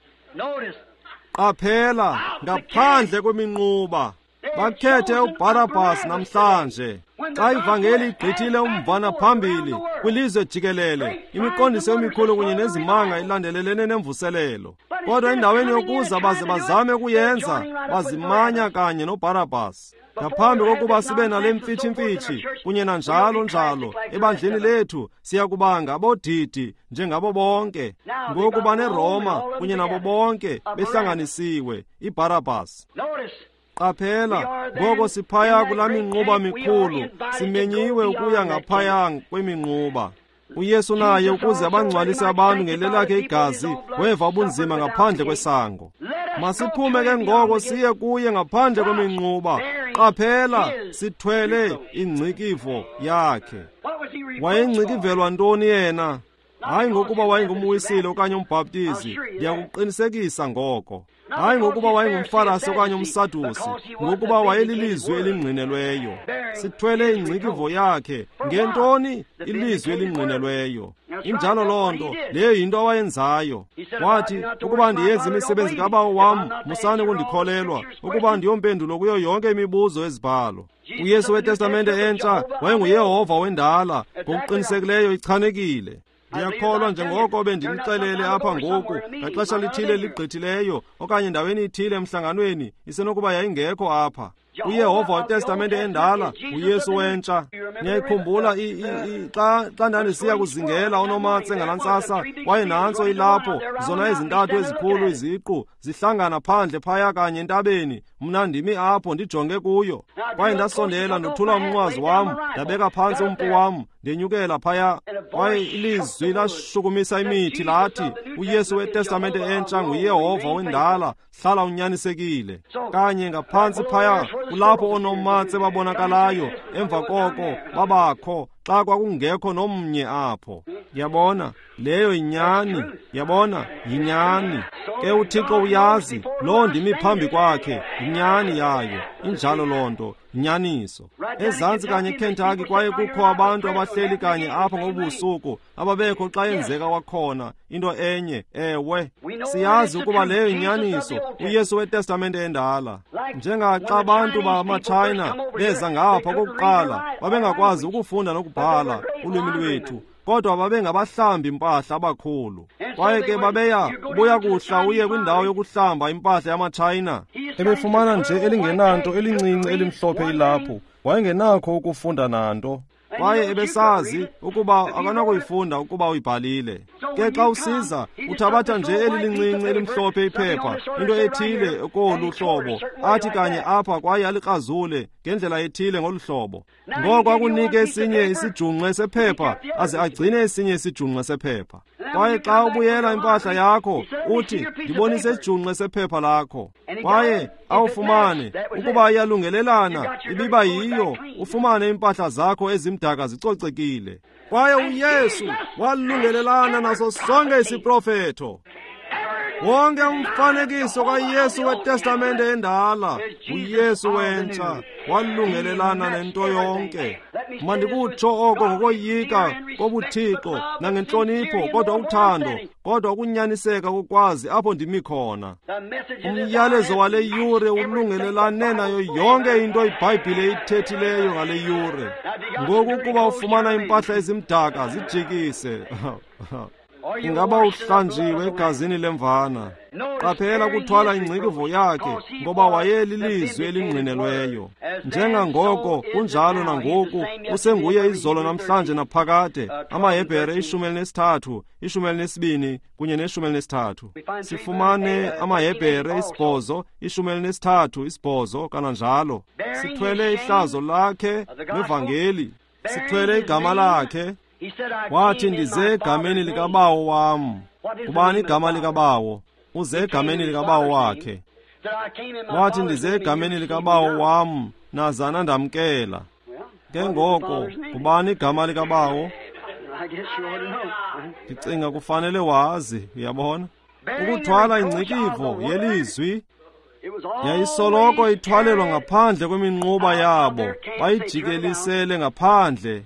Qaphela, ngaphandle kweminquba bakhethe uBarabas namhlanje. Xa ivangeli igqithile umvana phambili kwilizwe jikelele, imiqondiso emikhulu kunye nezimanga ilandelelene nemvuselelo, kodwa endaweni yokuza baze bazame ukuyenza, bazimanya kanye noBarabas. Ngaphambi kokuba sibe nale mfitshimfitshi kunye nanjalo njalo ebandleni lethu, siya kuba ngabodidi njengabo bonke. Ngoku baneRoma kunye nabo bonke behlanganisiwe, iBarabas. Qaphela, ngoko siphaya kulaa minquba mikhulu, simenyiwe ukuya ngaphaya kweminquba. uYesu naye, ukuze abangcwalise abantu ngelelakhe igazi, weva ubunzima ngaphandle kwesango. Masiphume ke ngoko siye kuye ngaphandle kweminquba. Qaphela, sithwele ingcikivo yakhe. Wayengcikivelwa ntoni yena? Hayi ngokuba wayengumwisile okanye umbhaptizi, ndiyakuqinisekisa ngoko. Hayi ngokuba wayengumfarasi okanye umsadusi, ngokuba wayelilizwi elingqinelweyo. Sithwele ingcikivo yakhe. Ngentoni? Ilizwi elingqinelweyo. Injalo loo nto, leyo yinto awayenzayo. Wathi, ukuba ndiyenza imisebenzi kaBawo wam, musani ukundikholelwa, ukuba ndiyompendulo kuyo yonke imibuzo ezibhalo. uYesu weTestamente entsha wayenguYehova wendala, ngokuqinisekileyo ichanekile. Ndiyakholwa njengoko bendinixelele apha ngoku, ngaxesha lithile ligqithileyo okanye endaweni ithile emhlanganweni, isenokuba yayingekho apha. uYehova weTestamente endala, uYesu wentsha. Niyayikhumbula xa ndandisiya kuzingela unomatse ngalaa ntsasa, kwaye nantso ilapho, zona ezintathu ezikhulu iziqu zihlangana phandle phaya kanye entabeni. Mna ndimi apho ndijonge kuyo. Kwaye ndasondela ndothula umnqwazi wam, ndabeka phantsi umpu wam, ndenyukela phaya. Kwaye ilizwi lashukumisa imithi lathi, uYesu weTestamente entsha nguYehova wendala, hlala unyanisekile. Kanye ngaphantsi phaya kulapho oonomatse babonakalayo, emva koko babakho xa kwakungekho nomnye apho. Yabona, leyo yinyani. Yabona, yinyani. Ke uThixo uyazi, loo ndimi phambi kwakhe, yinyani yayo. Injalo loo nto, yinyaniso. Ezantsi kanye eKentucky kwaye kukho abantu abahleli kanye apha ngobusuku ababekho xa yenzeka kwakhona into enye. Ewe, siyazi ukuba leyo yinyaniso, uYesu weTestamente endala. Njengaxa abantu bamaTshayina beza ngapha kokuqala, babengakwazi ukufunda nokubhala ulwimi lwethu, kodwa babengabahlambi impahla abakhulu. Kwaye ke babeya ubuya kuhla uye kwindawo yokuhlamba impahla yamaTshayina. Ebefumana nje elingenanto elincinci elimhlophe ilaphu, wayengenakho ukufunda nanto. Kwaye ebesazi ukuba akanakuyifunda ukuba uyibhalile. Ke xa usiza, uthabatha nje eli lincinci elimhlophe iphepha, into ethile kolu hlobo, athi kanye apha kwaye alikrazule ngendlela ethile ngolu hlobo. Ngoko akunike esinye isijungqe sephepha, aze agcine esinye isijungqe sephepha. Kwaye xa ubuyela impahla yakho, uthi, ndibonise isijungqe sephepha lakho. Kwaye awufumane, ukuba iyalungelelana, ibiba yiyo, ufumane impahla zakho ezimdaka zicocekile. Kwaye uYesu walungelelana naso sonke isiprofetho. Wonke umfanekiso kaYesu weTestamente endala, uYesu wentsha, walungelelana nento yonke. Mandikutsho oko ngokoyika kobuthixo nangentlonipho, kodwa uthando, kodwa ukunyaniseka kokwazi apho ndimi khona. Umyalezo wale yure ulungelelane nayo yonke into iBhayibhile ithethileyo ngale yure. Ngoku ukuba ufumana impahla ezimdaka, zijikise. Ingaba uhlanjiwe egazini lemvana. Qaphela kuthwala ingcikivo yakhe, ngoba wayelilizwi elingqinelweyo. Njengangoko kunjalo nangoku, usenguye izolo namhlanje naphakade. AmaHebhere 13, 12 kunye ne-13. Sifumane amaHebhere 8, 13, 8 kananjalo. Sithwele ihlazo lakhe nevangeli. Sithwele igama lakhe. Wathi, ndize egameni likaBawo wam. Ubani igama likaBawo? Uze egameni likaBawo wakhe. Wathi, ndize egameni likaBawo wam, nazana ndamkela. Ke ngoko, ubani igama likaBawo? Ndicinga kufanele wazi, uyabona? Ukuthwala ingcikivo yelizwi yayisoloko ithwalelwa ngaphandle kweminquba yabo, bayijikelisele ngaphandle.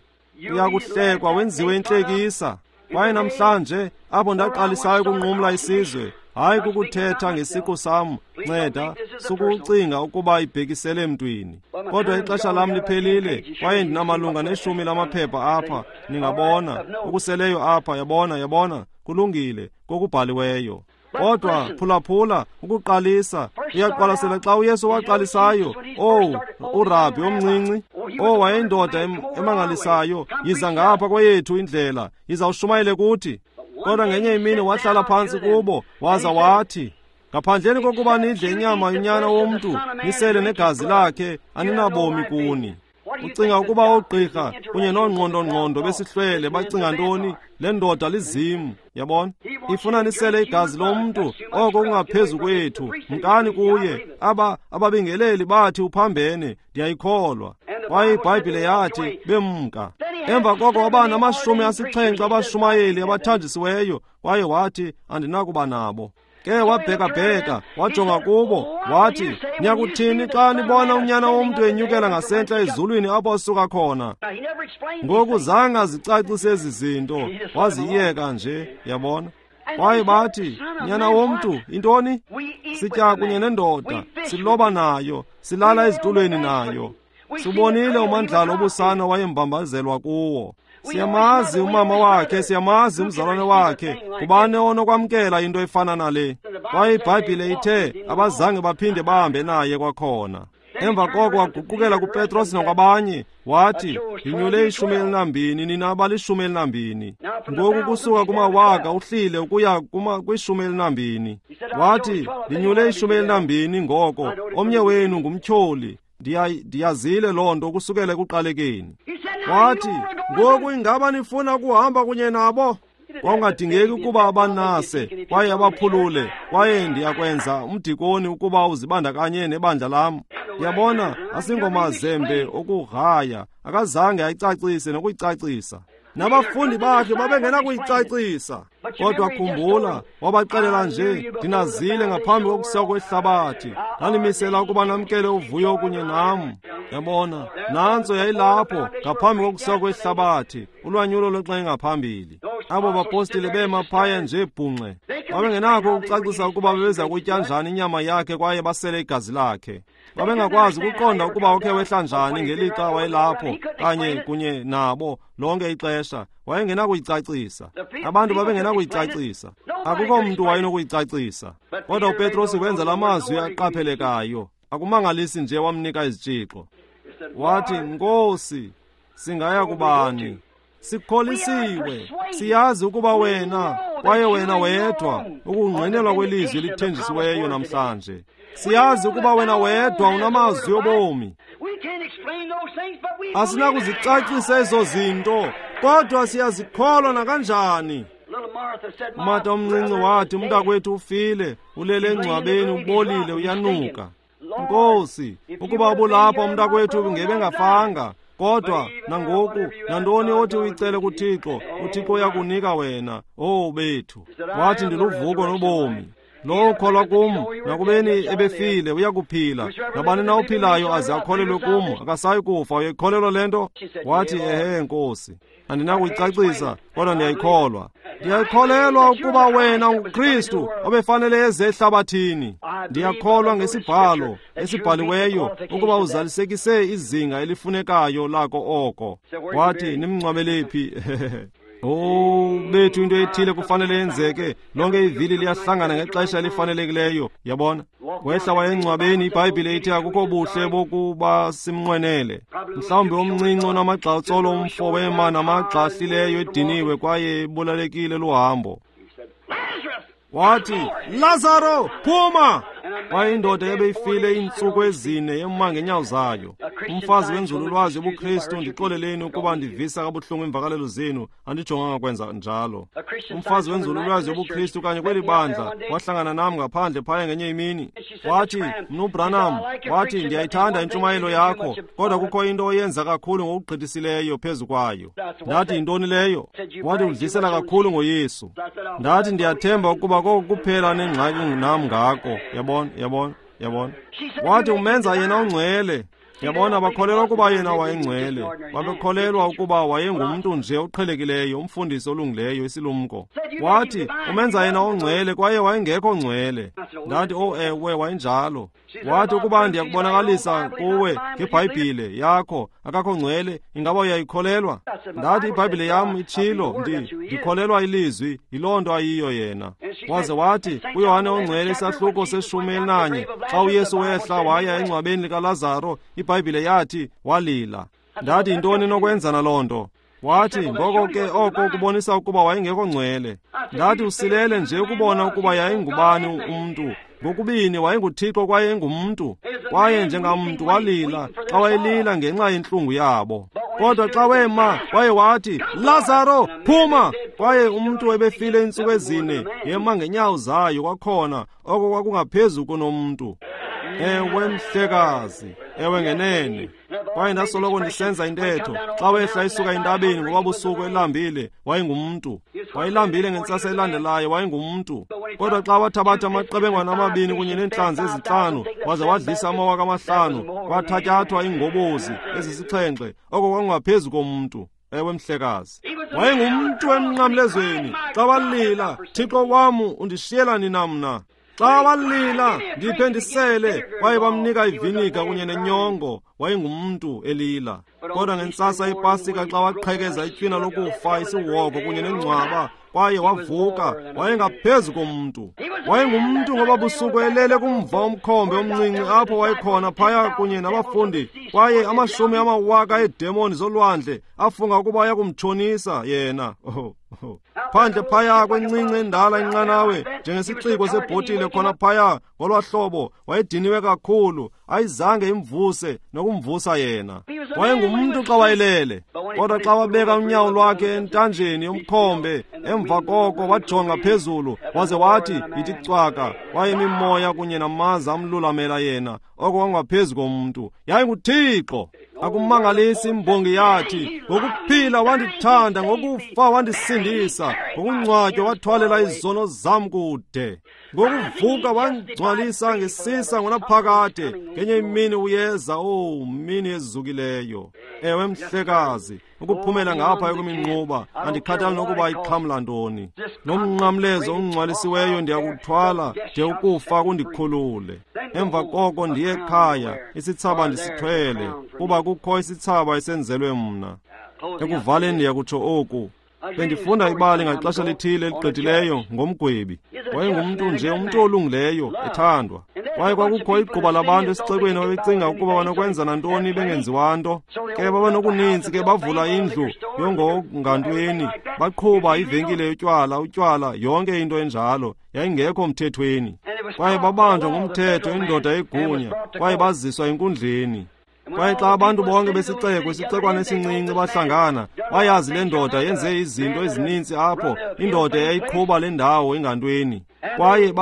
Uyakuhlekwa wenziwe intlekisa. Kwaye namhlanje apho ndaqalisayo ukunqumla isizwe, hayi kukuthetha ngesiqu sam, nceda sukucinga ukuba ibhekisele emntwini. Kodwa ixesha lam liphelile, kwaye ndinamalunga ne10 lamaphepha apha, ningabona okuseleyo apha, yabona, yabona, kulungile kokubhaliweyo. Kodwa phulaphula, ukuqalisa, uyaqwalasela xa uYesu waqalisayo. Owu, urabi omncinci, oh, wayeyindoda emangalisayo, yiza ngapha kweyethu indlela, yiza ushumayele kuthi. Kodwa ngenye imini wahlala phantsi kubo, waza wathi, ngaphandleni kokuba nidle inyama yonyana womntu, nisele negazi lakhe, aninabomi kuni. Ucinga ukuba oogqirha kunye noongqondo-ngqondo besihlwele bacinga ntoni? Le ndoda lizimu, yabona? Ifuna nisele igazi lomntu, oko kungaphezu kwethu. Mkani kuye. Aba ababingeleli bathi uphambene, ndiyayikholwa. Kwaye iBhayibhile yathi bemka. Emva koko waba nama-70 abashumayeli abathanjisiweyo, kwaye wathi andinakuba nabo. Ke wabhekabheka, wajonga kubo, wathi, niyakuthini xa nibona unyana womntu enyukela ngasentla ezulwini apho asuka khona? Ngoku zange azicacise ezi zinto, waziyeka nje, yabona? Kwaye bathi, nyana womntu, intoni? Sitya kunye nendoda, siloba nayo, silala ezitulweni nayo. Sibonile umandlalo obusana wayembambazelwa kuwo. Siyamazi umama wakhe, siyamazi umzalwane wakhe. Kubani onokwamkela into efana nale? Kwaye iBhayibhile ithe abazange baphinde bahambe naye kwakhona. Emva koko waguqukela kuPetros nakwabanye, wathi, ndinyule 12, nina abali-12. Ngoku kusuka kumawaka uhlile ukuya kwi-12. Wathi, ndinyule 12 ngoko, omnye wenu ngumtyholi. Ndiyazile loo nto kusukela ekuqalekeni. Wathi, ngoku ingaba nifuna ukuhamba kunye nabo? Kwakungadingeki ukuba abanase kwaye abaphulule, kwaye ndiyakwenza umdikoni ukuba uzibandakanye nebandla lam. Yabona, asingomazembe okugraya, akazange ayicacise nokuyicacisa. Nabafundi bakhe babengenakuyicacisa. Kodwa khumbula, wabaxelela nje, ndinazile ngaphambi kokusekwa kwehlabathi, ndanimisela ukuba namkele uvuyo kunye nam. Yabona, nantso yayilapho ngaphambi kokusekwa kwehlabathi, ulwanyulo lwexesha ngaphambili. Abo bapostile bema phaya nje bhunxe, babengenakho ukucacisa ukuba bebeza kutya njani inyama yakhe kwaye basele igazi lakhe. Babengakwazi ukuqonda ukuba ukhe wehla njani ngelixa wayelapho kanye kunye nabo lonke ixesha. Wayengenakuyicacisa. Abantu babengenakuyicacisa. Akukho mntu wayenokuyicacisa. Kodwa uPetros wenza la mazwi aqaphelekayo. Akumangalisi nje wamnika izitshixo. Wathi, Nkosi, singaya kubani? Sikholisiwe, siyazi ukuba wena, kwaye wena wedwa, ukungqinelwa kwelizwi elithenjisiweyo namhlanje. Siyazi ukuba wena wedwa unamazwi obomi. Asinakuzicacisa ezo zinto, kodwa siyazikholwa nakanjani. Umata omncinci wathi, umntakwethu ufile, ulele engcwabeni, ubolile, uyanuka. Nkosi, ukuba ubulapha umntakwethu ngebengafanga. Kodwa nangoku, nantoni othi uyicele kuThixo, uThixo uyakunika wena. Oh bethu. Wathi, ndiluvuko nobomi. Lowo ukholwa kum, nakubeni ebefile, uyakuphila. Nabani na ophilayo aze akholelwe kum, akasayi kufa. Uyayikholelwa le nto? Wathi, ehe, Nkosi. Andinakuyicacisa, kodwa ndiyayikholwa. Ndiyakholelwa ukuba wena unguKristu obefanele eze ehlabathini. Ndiyakholwa ngesibhalo esibhaliweyo ukuba uzalisekise izinga elifunekayo lako oko. Wathi, nimngcwabele phi? Oh, bethu, into ethile kufanele yenzeke. Lonke ivili liyahlangana ngexesha elifanelekileyo, yabona. Wehla wayengcwabeni, iBhayibhile ithi akukho buhle bokuba simnqwenele. Mhlawumbi omncinci onamagxatsolo umfo wema namagxa ahlileyo ediniwe kwaye ebulalekile luhambo. Wathi, Lazaro, phuma! Kwaye indoda ebeyifile iintsuku ezine yema ngeenyawo zayo. Umfazi wenzululwazi yobuKristu, ndixoleleni ukuba ndivisa kabuhlungu iimvakalelo zenu, andijonganga kwenza njalo. Umfazi wenzululwazi yobuKristu kanye kweli bandla wahlangana nam ngaphandle phaya ngenye imini. Wathi, Mnu Branham, wathi, ndiyayithanda intshumayelo yakho, kodwa kukho into oyenza kakhulu ngokugqithisileyo phezu kwayo. Ndathi, yintoni leyo? Wathi, udlisela kakhulu ngoYesu. Ndathi, ndiyathemba ukuba koko kuphela nengxaki nam ngako. Yabona, yabona, yabona. Wathi, umenza yena ungcwele. Yabona, bakholelwa ukuba yena wayengcwele. Babekholelwa ukuba wayengumntu nje oqhelekileyo, umfundisi olungileyo, isilumko. Wathi, umenza yena ongcwele, kwaye wayengekho ngcwele. Ndathi, oh ewe, wayenjalo. Wathi, ukuba ndiyakubonakalisa kuwe ngeBhayibhile yakho akakho ngcwele, ingaba uyayikholelwa? Ndathi, iBhayibhile yam itshilo, ndikholelwa ilizwi, yiloo nto ayiyo yena. Waze wathi, kuYohane ongcwele isahluko se-11, xa uYesu wehla waya engcwabeni likaLazaro, iBhayibhile yathi walila. Ndathi, yintoni nokwenza naloo nto? Wathi, ngoko ke oko kubonisa ukuba wayengekho ngcwele. Ndathi, usilele nje ukubona ukuba yayingubani umntu. Ngokubini wayenguThixo kwaye engumntu. Kwaye njengamntu walila xa wayelila ngenxa yentlungu yabo. Kodwa xa wema kwaye wathi, Lazaro, phuma! Kwaye umntu ebefile iintsuku ezine yema ngeenyawo zayo kwakhona, oko kwakungaphezu kunomntu. Ewe mhlekazi, ewe ngenene. Kwaye ndasoloko ndisenza intetho, xa wehla isuka entabeni ngoba busuku elambile, wayengumntu. Wayelambile ngentsasa elandelayo, wayengumntu. Kodwa xa wathabatha amaqebengwana amabini kunye neentlanzi ezintlanu, waze wadlisa 5,000, kwathatyathwa iingobozi ezisixhenxe, oko kwakungaphezu komntu. Ewe mhlekazi, wayengumntu emnqamlezweni. Xa walila, Thixo wam, undishiyela nina mna? Xa walila, ndiphe ndisele, kwaye bamnika iviniga kunye nenyongo, wayengumntu elila. Kodwa ngentsasa yePasika xa waqhekeza itywina lokufa, isihogo kunye nengcwaba, kwaye wavuka, wayengaphezu komntu. Wayengumntu ngoba busuku elele kumva umkhombe omncinci apho wayekhona phaya kunye nabafundi, kwaye 100,000 eedemoni zolwandle afunga ukuba ayakumtshonisa yena. Oh. Phandle phaya kwencinci endala inqanawe njengesiciko sebhotile khona phaya ngolwahlobo, wayediniwe kakhulu, ayizange imvuse nokumvusa yena. Wayengumntu xa wayelele, kodwa xa wabeka unyawo lwakhe entanjeni yomkhombe, emva koko wajonga phezulu waze wathi, yithi cwaka, kwaye imimoya kunye namaza amlulamela yena, oko kwangaphezu komntu. YayinguThixo. Akumangalisi imbongi yathi, ngokuphila wandithanda, ngokufa wandisindisa, ngokungcwatywa wathwalela izono zam kude, ngokuvuka wangcwalisa ngesisa ngonaphakade. Ngenye imini uyeza, oh mini ezukileyo. Ewe mhlekazi, ukuphumela ngapha kweminquba, andikhathali nokuba ixhamla ntoni. Nomnqamlezo ongcwalisiweyo ndiyakuthwala de ukufa kundikhulule. Emva koko ndiye ekhaya, isithsaba ndisithwele, kuba kukho isithsaba esenzelwe mna. Ekuvaleni ndiyakutsho oku. Bendifunda ibali ngaxesha lithile eligqithileyo ngomgwebi. Wayengumntu nje, umntu olungileyo, ethandwa. Kwaye kwakukho igquba labantu esixekweni ababecinga ukuba banokwenza nantoni bengenziwa nto. Ke babenokuninzi ke bavula indlu yongongantweni, baqhuba ivenkile yotywala, utywala, yonke into enjalo yayingekho mthethweni. Kwaye babanjwa ngumthetho, indoda yegunya, kwaye baziswa enkundleni. Kwaye xa abantu bonke besixeko, isixekwana esincinci bahlangana, bayazi le ndoda yenze izinto ezininzi apho, indoda eyayiqhuba le ndawo ingantweni. Kwaye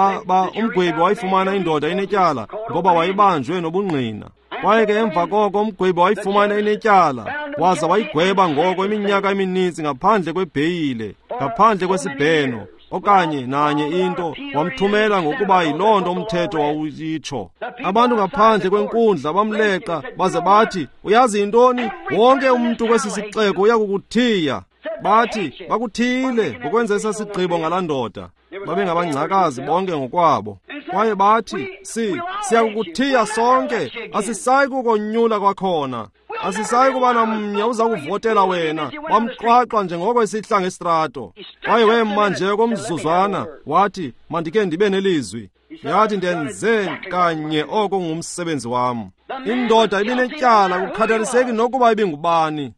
umgwebi wayifumana indoda inetyala ngoba wayebanjwe nobungqina. Kwaye ke emva koko umgwebi wayifumana inetyala, waza wayigweba ngoko iminyaka emininzi ngaphandle kwebheyile, ngaphandle kwesibheno, okanye nanye into, wamthumela ngokuba yiloo nto umthetho wawuyitsho. Abantu ngaphandle kwenkundla bamleqa baze bathi, uyazi yintoni? Wonke umntu kwesi sixeko uyakukuthiya. Bathi bakuthiyile ngokwenza esa sigqibo ngalaa ndoda. Babengabangcakazi bonke ngokwabo. Kwaye bathi, siyakukuthiya sonke, asisayi kukonyula kwakhona. Asisayi kuba namnye uza kuvotela wena. Bamxwaxwa njengoko esihla ngestrato. Kwaye wema nje komzuzwana, wathi, mandike ndibe nelizwi. Yathi, ndenze kanye oko ngumsebenzi wam. Indoda ibinetyala, kukhathaliseki nokuba ibingubani.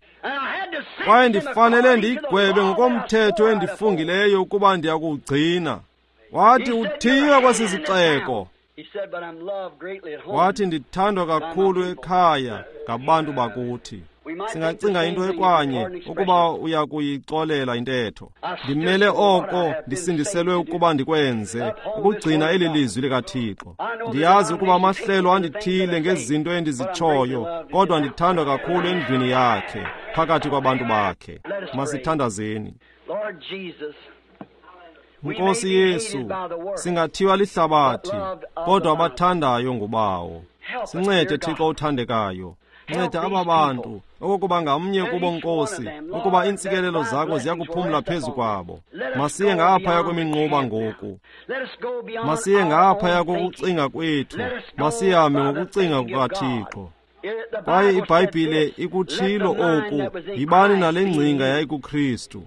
Kwaye ndifanele ndiyigwebe ngokomthetho endifungileyo ukuba ndiyakuwugcina. Wathi, uthiywa kwesi sixeko. Wathi, ndithandwa kakhulu ekhaya ngabantu bakuthi. Singacinga into ekwanye ukuba uya kuyixolela intetho. Ndimele oko ndisindiselwe ukuba ndikwenze, ukugcina eli lizwi likaThixo. Ndiyazi ukuba amahlelo andithile ngezinto endizitshoyo, kodwa ndithandwa kakhulu endlwini yakhe, phakathi kwabantu bakhe. Masithandazeni. Nkosi Yesu, singathiwa lihlabathi, kodwa abathandayo ngubawo. Sincede Thixo othandekayo. Nceda aba bantu, okokuba ngamnye kubo, Nkosi, ukuba iintsikelelo zakho ziyakuphumla phezu kwabo. Masiye ngaphaya kweminquba ngoku. Masiye ngaphaya kokucinga kwethu. Masihambe ngokucinga kukaThixo. Kwaye iBhayibhile ikutshilo oku, yibani nale ngcinga yayikuKristu.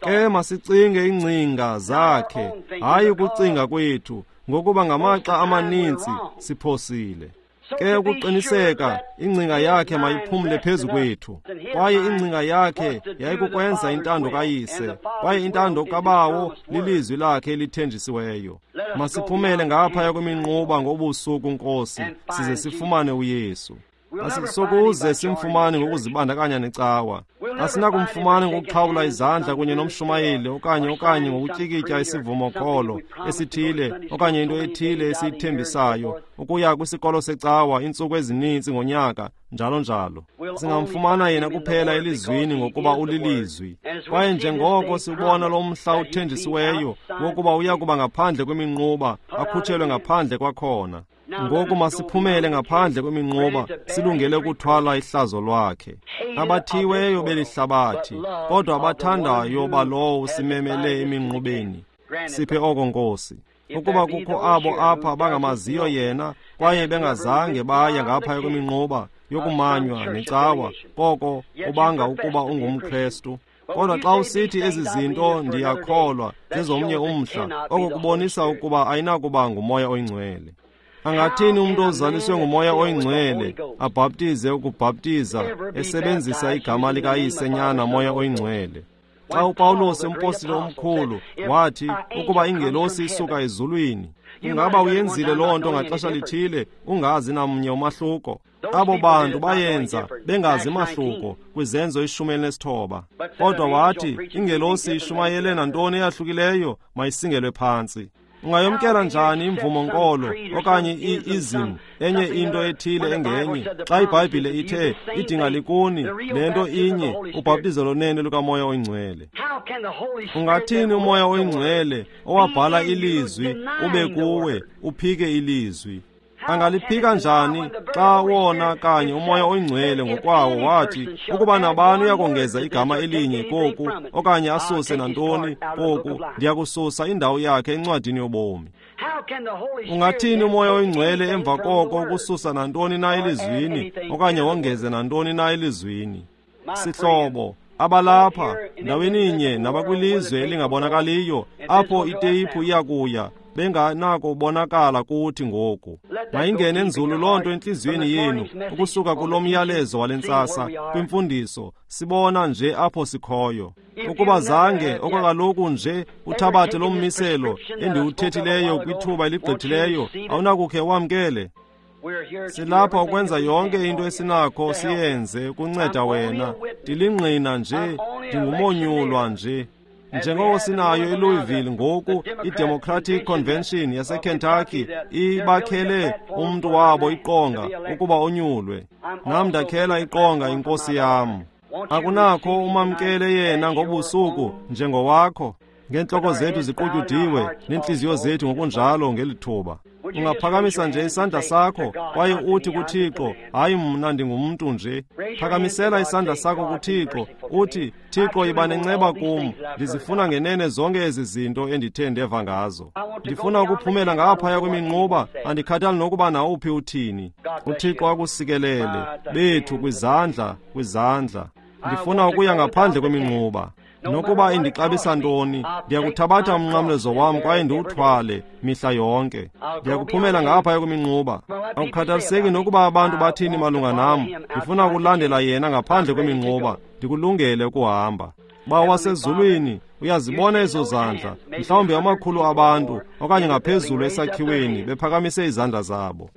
Ke masicinge iingcinga zakhe, hayi ukucinga kwethu, ngokuba ngamaxa amaninzi siphosile. Ke ukuqiniseka, ingcinga yakhe mayiphumle phezu kwethu. Kwaye ingcinga yakhe yayikukwenza intando kaYise, kwaye intando kaBawo lilizwi lakhe elithenjisiweyo. Masiphumele ngaphaya kweminquba ngobusuku, Nkosi, size sifumane uYesu. Asisokuze simfumane ngokuzibandakanya necawa. Asinakumfumana ngokuxhawula izandla kunye nomshumayeli okanye ngokutyikitya isivumokholo esithile okanye into ethile esiyithembisayo, ukuya kwisikolo secawa iintsuku ezininzi ngonyaka, njalo njalo. Singamfumana yena kuphela elizwini, ngokuba ulilizwi. Kwaye njengoko siwubona lo mhla uthenjisiweyo wokuba uya kuba ngaphandle kweminquba, akhutshelwe ngaphandle kwakhona. Ngoku masiphumele ngaphandle kweminquba, silungele ukuthwala ihlazo lwakhe. Abathiweyo belihlabathi, kodwa abathandayo balowo usimemele eminqubeni. Siphe oko, Nkosi. Ukuba kukho abo apha bangamaziyo yena, kwaye bengazange baya ngaphaya kweminquba yokumanywa necawa, koko ubanga ukuba ungumKrestu. Kodwa xa usithi ezi zinto ndiyakholwa zezomnye umhla, oko kubonisa ukuba ayinakuba nguMoya oyiNgcwele. Angathini umntu ozaliswe nguMoya oyiNgcwele abhaptize ukubhaptiza esebenzisa igama likaYise, Nyana, Moya oyiNgcwele? Xa uPawulos umpostile omkhulu wathi ukuba ingelosi isuka ezulwini, ingaba uyenzile loo nto ngaxesha lithile ungazi namnye umahluko? Abo bantu bayenza bengazi mahluko kwiZenzo 19. Kodwa wathi ingelosi ishumayele nantoni eyahlukileyo mayisingelwe phantsi. Ungayomkela njani imvumo-nkolo okanye i-ism, enye into ethile engenye, xa iBhayibhile ithe idinga likuni le nto inye, ubhaptizo lonene lukaMoya oyiNgcwele? Ungathini uMoya oyiNgcwele owabhala ilizwi ube kuwe uphike ilizwi? Angaliphika njani xa wona kanye uMoya oyiNgcwele ngokwawo wathi ukuba nabani uyakongeza igama elinye koku okanye asuse nantoni koku, ndiyakususa indawo yakhe encwadini yobomi? Ungathini uMoya oyiNgcwele emva koko ukususa nantoni na elizwini okanye wongeze nantoni na elizwini? Sihlobo, abalapha ndaweninye nabakwilizwe elingabonakaliyo apho iteyiphu iyakuya benganakubonakala kuthi ngoku. Mayingene nzulu loo nto entliziyweni yenu ukusuka kulo myalezo wale ntsasa kwimfundiso, sibona nje apho sikhoyo. Ukuba zange okwakaloku nje uthabathe lo mmiselo endiwuthethileyo kwithuba eligqithileyo, awunakukhe wamkele. Silapha ukwenza yonke into esinakho siyenze ukunceda wena. Ndilingqina nje, ndingumonyulwa nje. Njengoko sinayo eLouisville ngoku iDemocratic Convention yaseKentucky ibakhele umntu wabo iqonga ukuba onyulwe. Nam ndakhela iqonga inkosi yam. Akunakho umamkele yena ngobusuku njengowakho? Ngeentloko zethu ziqutyudiwe neentliziyo zethu ngokunjalo ngeli thuba. Ungaphakamisa nje isandla sakho kwaye uthi kuThixo, hayi mna ndingumntu nje. Phakamisela isandla sakho kuThixo uthi, Thixo, yiba nenceba kum, ndizifuna ngenene zonke ezi zinto endithe ndeva ngazo. Ndifuna ukuphumela ngaphaya kweminquba, andikhathali nokuba nawuphi uthini. UThixo akusikelele bethu kwizandla, kwizandla. Ndifuna ukuya ngaphandle kweminquba. Nokuba indixabisa ntoni, ndiyakuthabatha umnqamlezo wam kwaye ndiwuthwale mihla yonke. Ndiyakuphumela ngaphaya kweminquba. Akukhathaliseki nokuba abantu bathini malunga nam, ndifuna ukulandela yena ngaphandle kweminquba. Ndikulungele ukuhamba. Bawo wasezulwini, uyazibona ezo zandla, mhlawumbi amakhulu abantu okanye ngaphezulu esakhiweni bephakamise izandla zabo.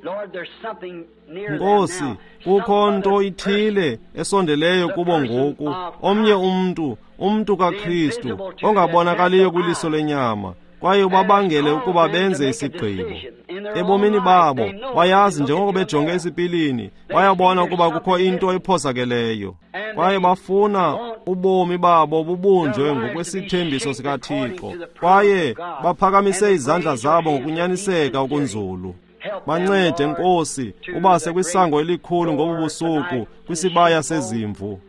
Nkosi, kukho nto ithile esondeleyo kubo ngoku, omnye umntu, umntu kaKristu, ongabonakaliyo kwiliso lenyama, kwaye ubabangele ukuba benze isigqibo. Ebomini babo, bayazi njengoko bejonge esipilini, bayabona ukuba kukho into ephosakeleyo. Kwaye bafuna ubomi babo bubunjwe ngokwesithembiso sikaThixo, kwaye baphakamise izandla zabo ngokunyaniseka okunzulu. Bancede, Nkosi, ubase kwisango elikhulu ngobu busuku kwisibaya sezimvu.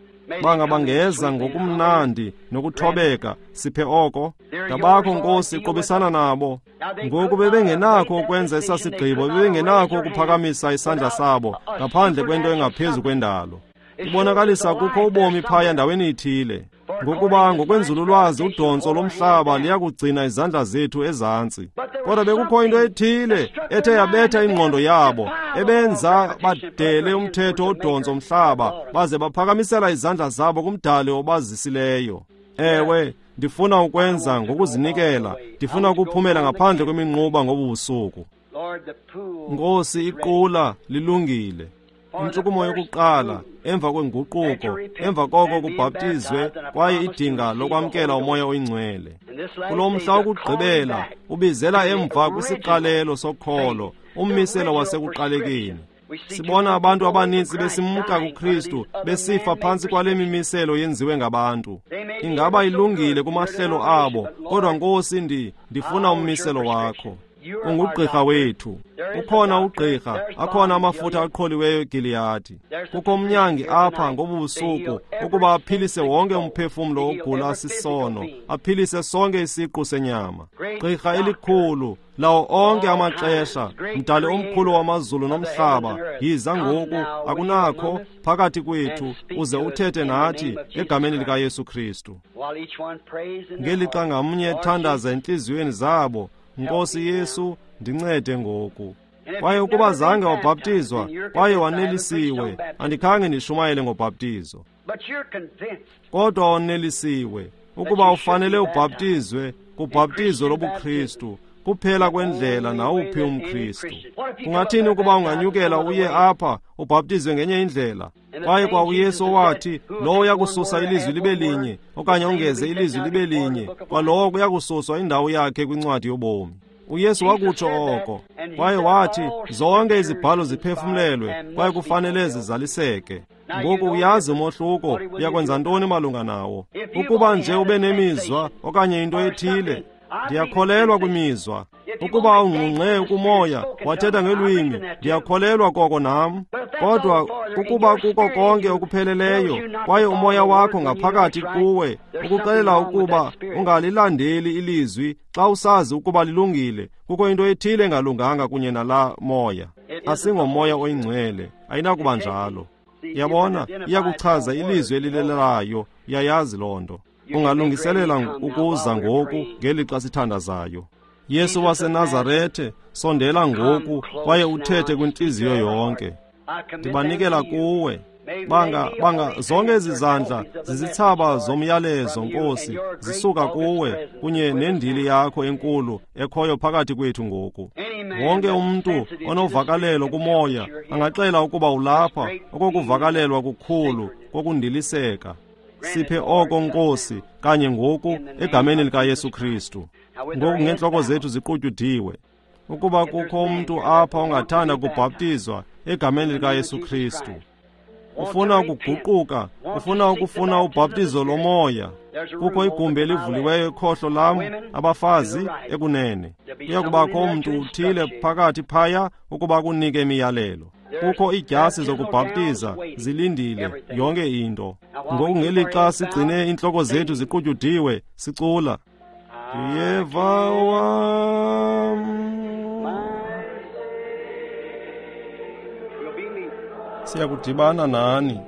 Bangabangeza ngokumnandi nokuthobeka, siphe oko. Ngabakho, Nkosi, qobisana nabo. Ngoku bebengenakho ukwenza esasigqibo, bebengenakho ukuphakamisa isandla sabo ngaphandle kwento engaphezu kwendalo. Ibonakalisa kukho ubomi phaya ndaweni ithile. Ngokuba ngokwenzululwazi udontso lomhlaba liyakugcina izandla zethu ezantsi. Kodwa bekukho into ethile ethe yabetha ingqondo yabo, ebenza badele umthetho odontso mhlaba, baze baphakamisela izandla zabo kumdali obazisileyo. Ewe, ndifuna ukwenza ngokuzinikela, ndifuna ukuphumela ngaphandle kweminquba ngobu busuku. Nkosi, iqula lilungile. Intshukumo yokuqala emva kwenguquko, emva koko kubhaptizwe kwaye idinga lokwamkela uMoya oyiNgcwele. Kulo mhla wokugqibela ubizela emva kwisiqalelo sokholo, ummiselo wasekuqalekeni. Sibona abantu abaninzi besimka kuKristu, besifa phantsi kwale mimiselo yenziwe ngabantu. Ingaba ilungile kumahlelo abo, kodwa Nkosi, ndifuna ummiselo wakho. Ungugqirha wethu. Ukhona ugqirha, akhona amafutha aqholiweyo eGiliyadi. Kukho umnyangi apha ngobu busuku ukuba aphilise wonke umphefumlo ogula sisono, aphilise sonke isiqu senyama. Gqirha elikhulu lawo onke amaxesha, mdali omkhulu wamazulu nomhlaba, yiza ngoku, akunakho phakathi kwethu, uze uthethe nathi egameni likaYesu Kristu. Ngelixa ngamnye ethandaza entliziyweni zabo, Nkosi Yesu, ndincede ngoku. Kwaye ukuba zange wabhaptizwa kwaye wanelisiwe, andikhange ndishumayele ngobhaptizo. Kodwa wanelisiwe ukuba ufanele ubhaptizwe kubhaptizo lobuKristu, kuphela kwendlela nawuphi umKristu. Kungathini ukuba unganyukela uye apha ubhaptizwe ngenye indlela? Kwaye kwa uYesu wathi, lowo uyakususa ilizwi libe linye okanye ongeze ilizwi libe linye, kwalowo kuyakususwa indawo yakhe kwincwadi yobomi. uYesu wakutsho oko, kwaye wathi zonke izibhalo ziphefumlelwe kwaye kufanele zizaliseke. Ngoku uyazi umohluko, uyakwenza ntoni malunga nawo? Ukuba nje ube nemizwa okanye into ethile, ndiyakholelwa kwimizwa. Ukuba ungqungqe kumoya wathetha ngelwimi, ndiyakholelwa koko nam. Kodwa ukuba kuko konke okupheleleyo kwaye umoya wakho ngaphakathi kuwe ukuxelela ukuba ungalilandeli ilizwi xa usazi ukuba lilungile, kukho into ethile engalunganga kunye nala moya. Asingomoya oyingcwele, ayinakuba njalo. Yabona, iyakuchaza ilizwi elilelayo, uyayazi loo nto. Ungalungiselela ukuza ngoku ngelixa sithandazayo. Yesu waseNazarethe, sondela ngoku kwaye uthethe kwintliziyo yonke. Ndibanikela kuwe. Banga zonke ezi zandla zizithsaba zomyalezo, Nkosi, zisuka kuwe kunye nendili yakho enkulu ekhoyo phakathi kwethu ngoku. Wonke umntu onovakalelo kumoya angaxela ukuba ulapha okokuvakalelwa kukhulu kokundiliseka. Siphe oko, Nkosi, kanye ngoku egameni likaYesu Kristu. Ngoku ngeentloko zethu ziqutyudiwe. Ukuba kukho umntu apha ongathanda kubhaptizwa egameni likaYesu Kristu, ufuna ukuguquka, ufuna ukufuna ubhaptizo lomoya, kukho igumbi elivuliweyo ekhohlo lam, abafazi ekunene. Kuya kubakho umntu uthile phakathi phaya ukuba kunike imiyalelo. Kukho iidyasi zokubhaptiza zilindile, yonke into. Ngoku ngelixa sigcine iintloko zethu ziqutyudiwe, sicula, Ndiyeva wam. Siyakudibana nani.